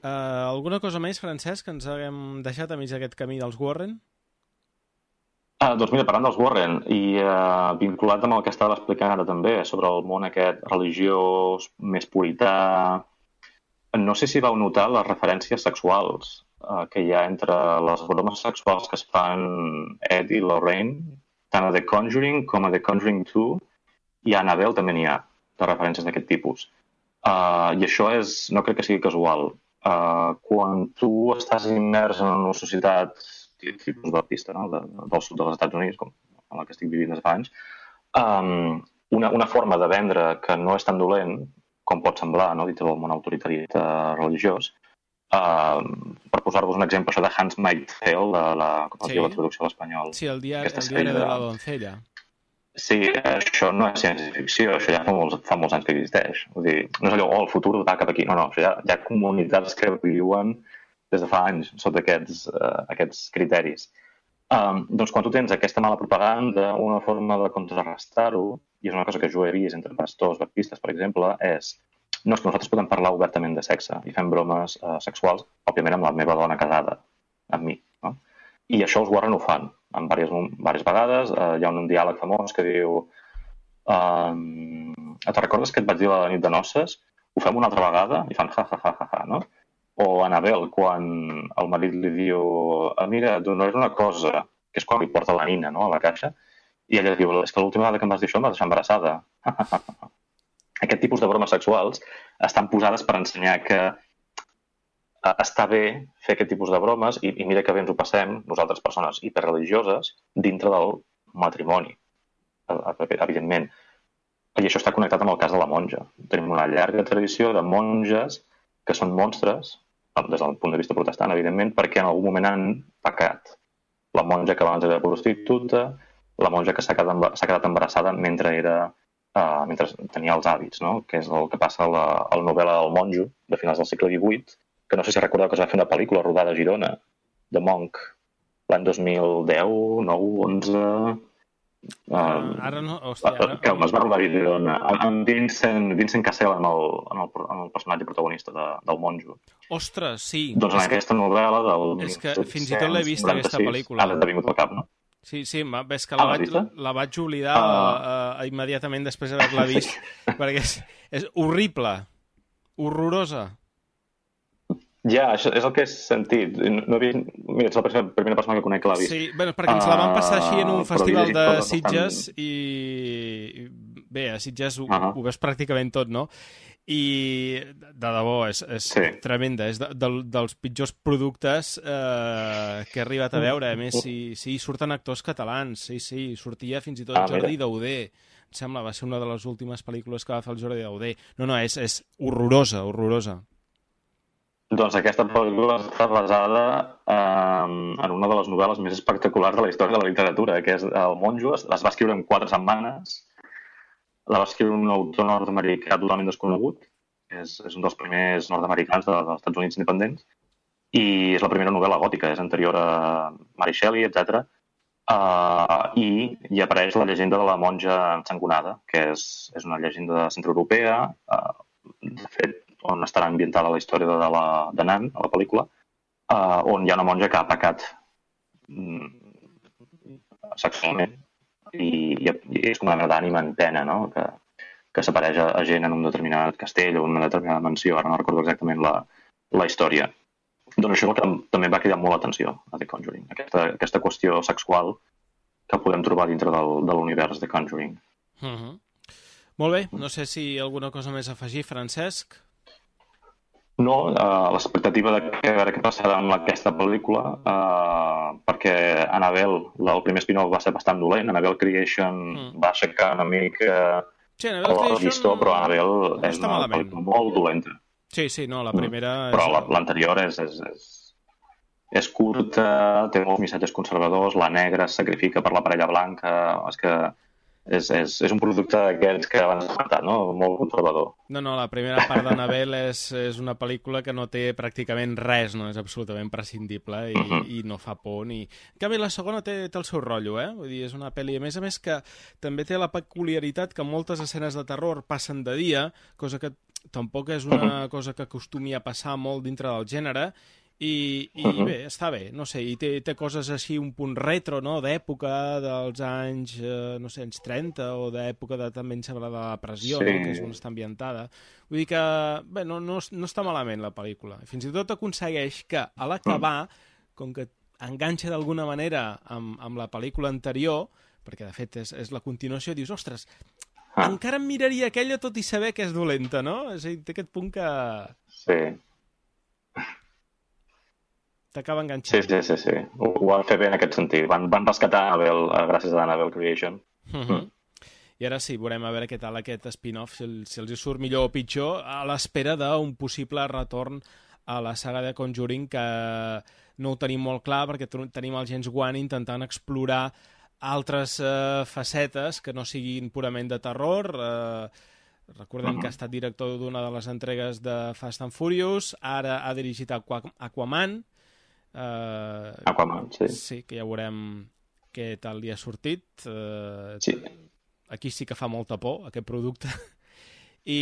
Uh, alguna cosa més, Francesc, que ens haguem deixat a mig d'aquest camí dels Warren? Ah, doncs mira, parlant dels Warren, i uh, vinculat amb el que estava explicant ara també, sobre el món aquest religiós, més purità, no sé si vau notar les referències sexuals uh, que hi ha entre les bromes sexuals que es fan Ed i Lorraine, tant a The Conjuring com a The Conjuring two, i a Annabelle també n'hi ha, de referències d'aquest tipus. Uh, I això és, no crec que sigui casual. Uh, quan tu estàs immers en una societat tipus baptista, no? de, del sud dels Estats Units, com en la que estic vivint des de fa anys, um, una, una forma de vendre que no és tan dolent, com pot semblar, no? Dit del món autoritari religiós, uh, per posar-vos un exemple, això de Handmaid's Tale, de la, com es sí. diu la traducció a l'espanyol. Sí, el diari, el diari de la doncella. Sí, això no és ciència-ficció, això ja fa molts, fa molts anys que existeix. Vull dir, no és allò, oh, el futur va cap aquí. No, no, això ja, hi ha comunitats que viuen des de fa anys sota aquests, uh, aquests criteris. Um, doncs quan tu tens aquesta mala propaganda, una forma de contrarrestar-ho, i és una cosa que jo he vist entre pastors baptistes, per exemple, és no, és que nosaltres podem parlar obertament de sexe i fem bromes uh, sexuals, òbviament amb la meva dona casada, amb mi. No? I això els Warren ho fan, en diverses, diverses vegades. Uh, hi ha un, un diàleg famós que diu um, et recordes que et vaig dir la nit de noces? Ho fem una altra vegada? I fan ja, ja, ja, ja, ja, no? O Annabelle, quan el marit li diu ah, mira, et donaré una cosa, que és quan li porta la nina, no?, a la caixa, i ella diu, és que l'última vegada que em vas dir això em vas deixar embarassada. Aquest tipus de bromes sexuals estan posades per ensenyar que està bé fer aquest tipus de bromes i, i mira que bé ens ho passem, nosaltres persones hiperreligioses, dintre del matrimoni, evidentment. I això està connectat amb el cas de la monja. Tenim una llarga tradició de monges que són monstres, des del punt de vista protestant, evidentment, perquè en algun moment han pecat. La monja que abans era prostituta, la monja que s'ha quedat, s'ha quedat embarassada mentre era uh, mentre tenia els hàbits, no? Que és el que passa a la, a la novel·la del monjo, de finals del segle divuit, que no sé si recordeu que es va fer una pel·lícula rodada a Girona, de Monk, l'any dos mil deu, nou, onze... Uh, ara no, hòstia, ara... que es va rodar a Girona, amb Vincent, Vincent Cassel en el, en el, en el personatge protagonista de, del monjo. Ostres, sí. Doncs en aquesta que... novel·la del... És que fins i tot l'he vist, aquesta pel·lícula. Ara t'ha vingut al cap, no? Sí, sí, ves que la, ah, vaig, la vaig oblidar uh... uh, immediatament després d'haver-la vist, perquè és, és horrible, horrorosa. Ja, això és el que he sentit. No he vist... Mira, ets la primera persona que conec que l'ha vist. Sí, bueno, perquè ens la van passar així en un uh, festival de Sitges bastant... i... Bé, a Sitges ho, uh -huh. ho veus pràcticament tot, no? I de debò, és, és sí. tremenda. És de, de, dels pitjors productes eh, que he arribat a veure. A més, sí, sí, surten actors catalans. Sí, sí, sortia fins i tot ah, Jordi Dauder. Em sembla, va ser una de les últimes pel·lícules que va fer el Jordi Dauder. No, no, és, és horrorosa, horrorosa. Doncs aquesta pel·lícula està basada eh, en una de les novel·les més espectaculars de la història de la literatura, que és El monjo. Es va escriure en quatre setmanes. La va escriure un autor nord-americà totalment desconegut. És, és un dels primers nord-americans de, dels Estats Units independents. I és la primera novel·la gòtica, és anterior a Mary Shelley, etcètera. Uh, I hi apareix la llegenda de la monja ensangonada, que és, és una llegenda centroeuropea, uh, de fet, on estarà ambientada la història de, la, de Nan, a la pel·lícula, uh, on hi ha una monja que ha pecat mm, sexualment i, i, i és com una mena d'ànima en pena, no? que, que s'apareix a, a gent en un determinat castell o en una determinada mansió, ara no recordo exactament la, la història. Doncs això és el que també va cridar molt l'atenció a The Conjuring, aquesta, aquesta qüestió sexual que podem trobar dintre del, de l'univers The Conjuring. Uh-huh. Molt bé, no sé si alguna cosa més a afegir, Francesc. No, uh, l'expectativa de que, veure què passarà amb aquesta pel·lícula, uh, perquè Annabelle, el primer spin-off va ser bastant dolent, Annabelle Creation mm. va aixecar una mica sí, Annabelle el llistó, però Annabelle no és una malament. pel·lícula molt dolenta. Sí, sí, no, la primera... Mm. Però és... l'anterior és, és, és, és curta, té molts missatges conservadors, la negra es sacrifica per la parella blanca, és que... És, és, és un producte d'aquests que abans has comentat, no? Molt conservador. No, no, la primera part d'Annabelle és, és una pel·lícula que no té pràcticament res, no? És absolutament prescindible i, uh-huh. i no fa por ni... En canvi, la segona té, té el seu rotllo, eh? Vull dir, és una pel·li, a més a més, que també té la peculiaritat que moltes escenes de terror passen de dia, cosa que tampoc és una cosa que acostumi a passar molt dintre del gènere, I, i uh-huh. bé, està bé, no sé, i té, té coses així un punt retro, no?, d'època dels anys, eh, no sé, anys trenta o d'època de, també em sembla, de la depressió, sí. no?, que és on està ambientada. Vull dir que, bé, no, no, no està malament la pel·lícula. Fins i tot aconsegueix que a l'acabar, com que enganxa d'alguna manera amb, amb la pel·lícula anterior, perquè de fet és, és la continuació, dius, ostres, ah. encara em miraria aquella tot i saber que és dolenta, no? És a dir, té aquest punt que... Sí. T'acaba enganxant. Sí, sí, sí, sí. Ho, ho van fer bé en aquest sentit. Van, van rescatar Annabelle gràcies a Annabelle Creation. Uh-huh. Mm. I ara sí, veurem a veure què tal aquest spin-off, si, el, si els hi surt millor o pitjor, a l'espera d'un possible retorn a la saga de Conjuring, que no ho tenim molt clar, perquè tenim el James Wan intentant explorar altres eh, facetes que no siguin purament de terror. Eh, recordem uh-huh. que ha estat director d'una de les entregues de Fast and Furious, ara ha dirigit Aquaman, Uh, Aquaman, sí. Sí, que ja veurem què tal li ha sortit. Uh, sí. Aquí sí que fa molta por, aquest producte. I,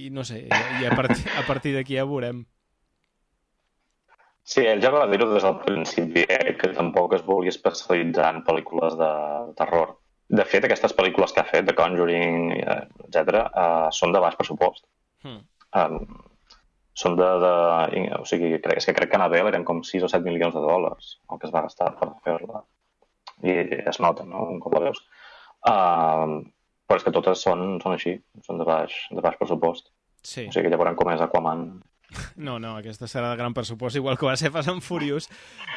i no sé, i a partir, a partir d'aquí ja veurem. Sí, ell ja va dir-ho des del principi, eh, que tampoc es vulgui especialitzar en pel·lícules de terror. De fet, aquestes pel·lícules que ha fet, de Conjuring, etcètera, uh, són de baix pressupost. Hmm. Um, són de, de... O sigui, crec, és que crec que Annabelle eren com sis o set milions de dòlars el que es va gastar per fer-la. I es nota, no?, un cop la veus. Uh, però és que totes són, són així, són de baix, de baix pressupost. Sí. O sigui, ja veurem com és Aquaman. No, no, aquesta serà de gran pressupost, igual que va ser Fast and Furious,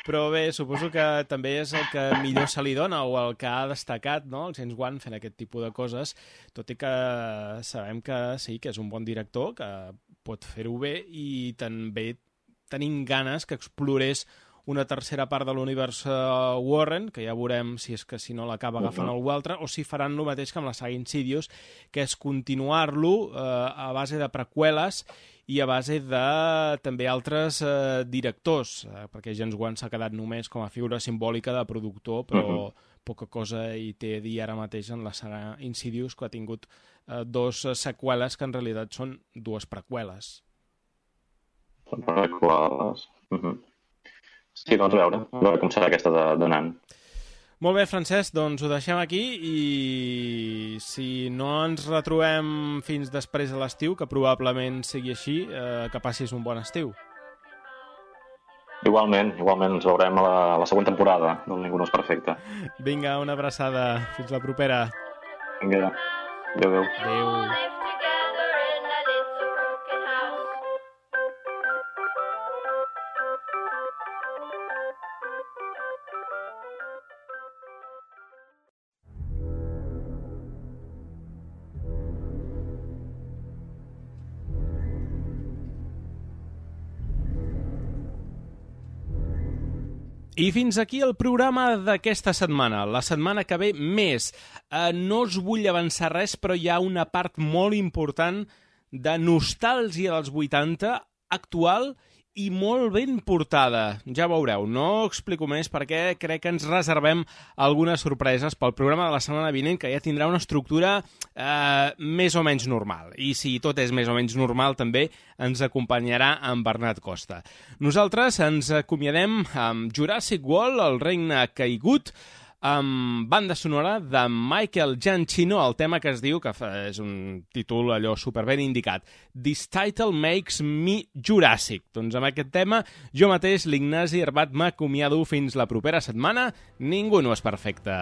però bé, suposo que també és el que millor se li dona o el que ha destacat, no?, el James Wan fent aquest tipus de coses, tot i que sabem que sí, que és un bon director, que pot fer-ho bé i també tenim ganes que explorés una tercera part de l'univers uh, Warren, que ja veurem si és que si no l'acaba agafant algú altre, o si faran el mateix que amb la saga Insidious, que és continuar-lo uh, a base de preqüeles i a base de també altres uh, directors, uh, perquè James Wan s'ha quedat només com a figura simbòlica de productor, però uh-huh. poca cosa hi té a dir ara mateix en la saga Insidious, que ha tingut uh, dos uh, seqüeles que en realitat són dues preqüeles. Preqüeles. Uh-huh. Sí, doncs a veure, a veure com serà aquesta donant. Molt bé, Francesc, doncs ho deixem aquí i si no ens retrobem fins després de l'estiu, que probablement sigui així, eh, que passis un bon estiu. Igualment, igualment ens veurem a la, a la següent temporada del Ningú no és perfecte. Vinga, una abraçada. Fins la propera. Vinga, adéu, adéu. Adéu. I fins aquí el programa d'aquesta setmana. La setmana que ve, més. Eh, no us vull avançar res, però hi ha una part molt important de nostàlgia dels vuitanta, actual i molt ben portada. Ja veureu, no explico més perquè crec que ens reservem algunes sorpreses pel programa de la setmana vinent, que ja tindrà una estructura eh, més o menys normal. I si tot és més o menys normal, també ens acompanyarà en Bernat Costa. Nosaltres ens acomiadem amb Jurassic World, el regne caigut, amb banda sonora de Michael Giacchino, el tema que es diu, que és un títol allò superben indicat, This Title Makes Me Jurassic. Doncs amb aquest tema, jo mateix, l'Ignasi Herbat, m'acomiado fins la propera setmana. Ningú no és perfecte.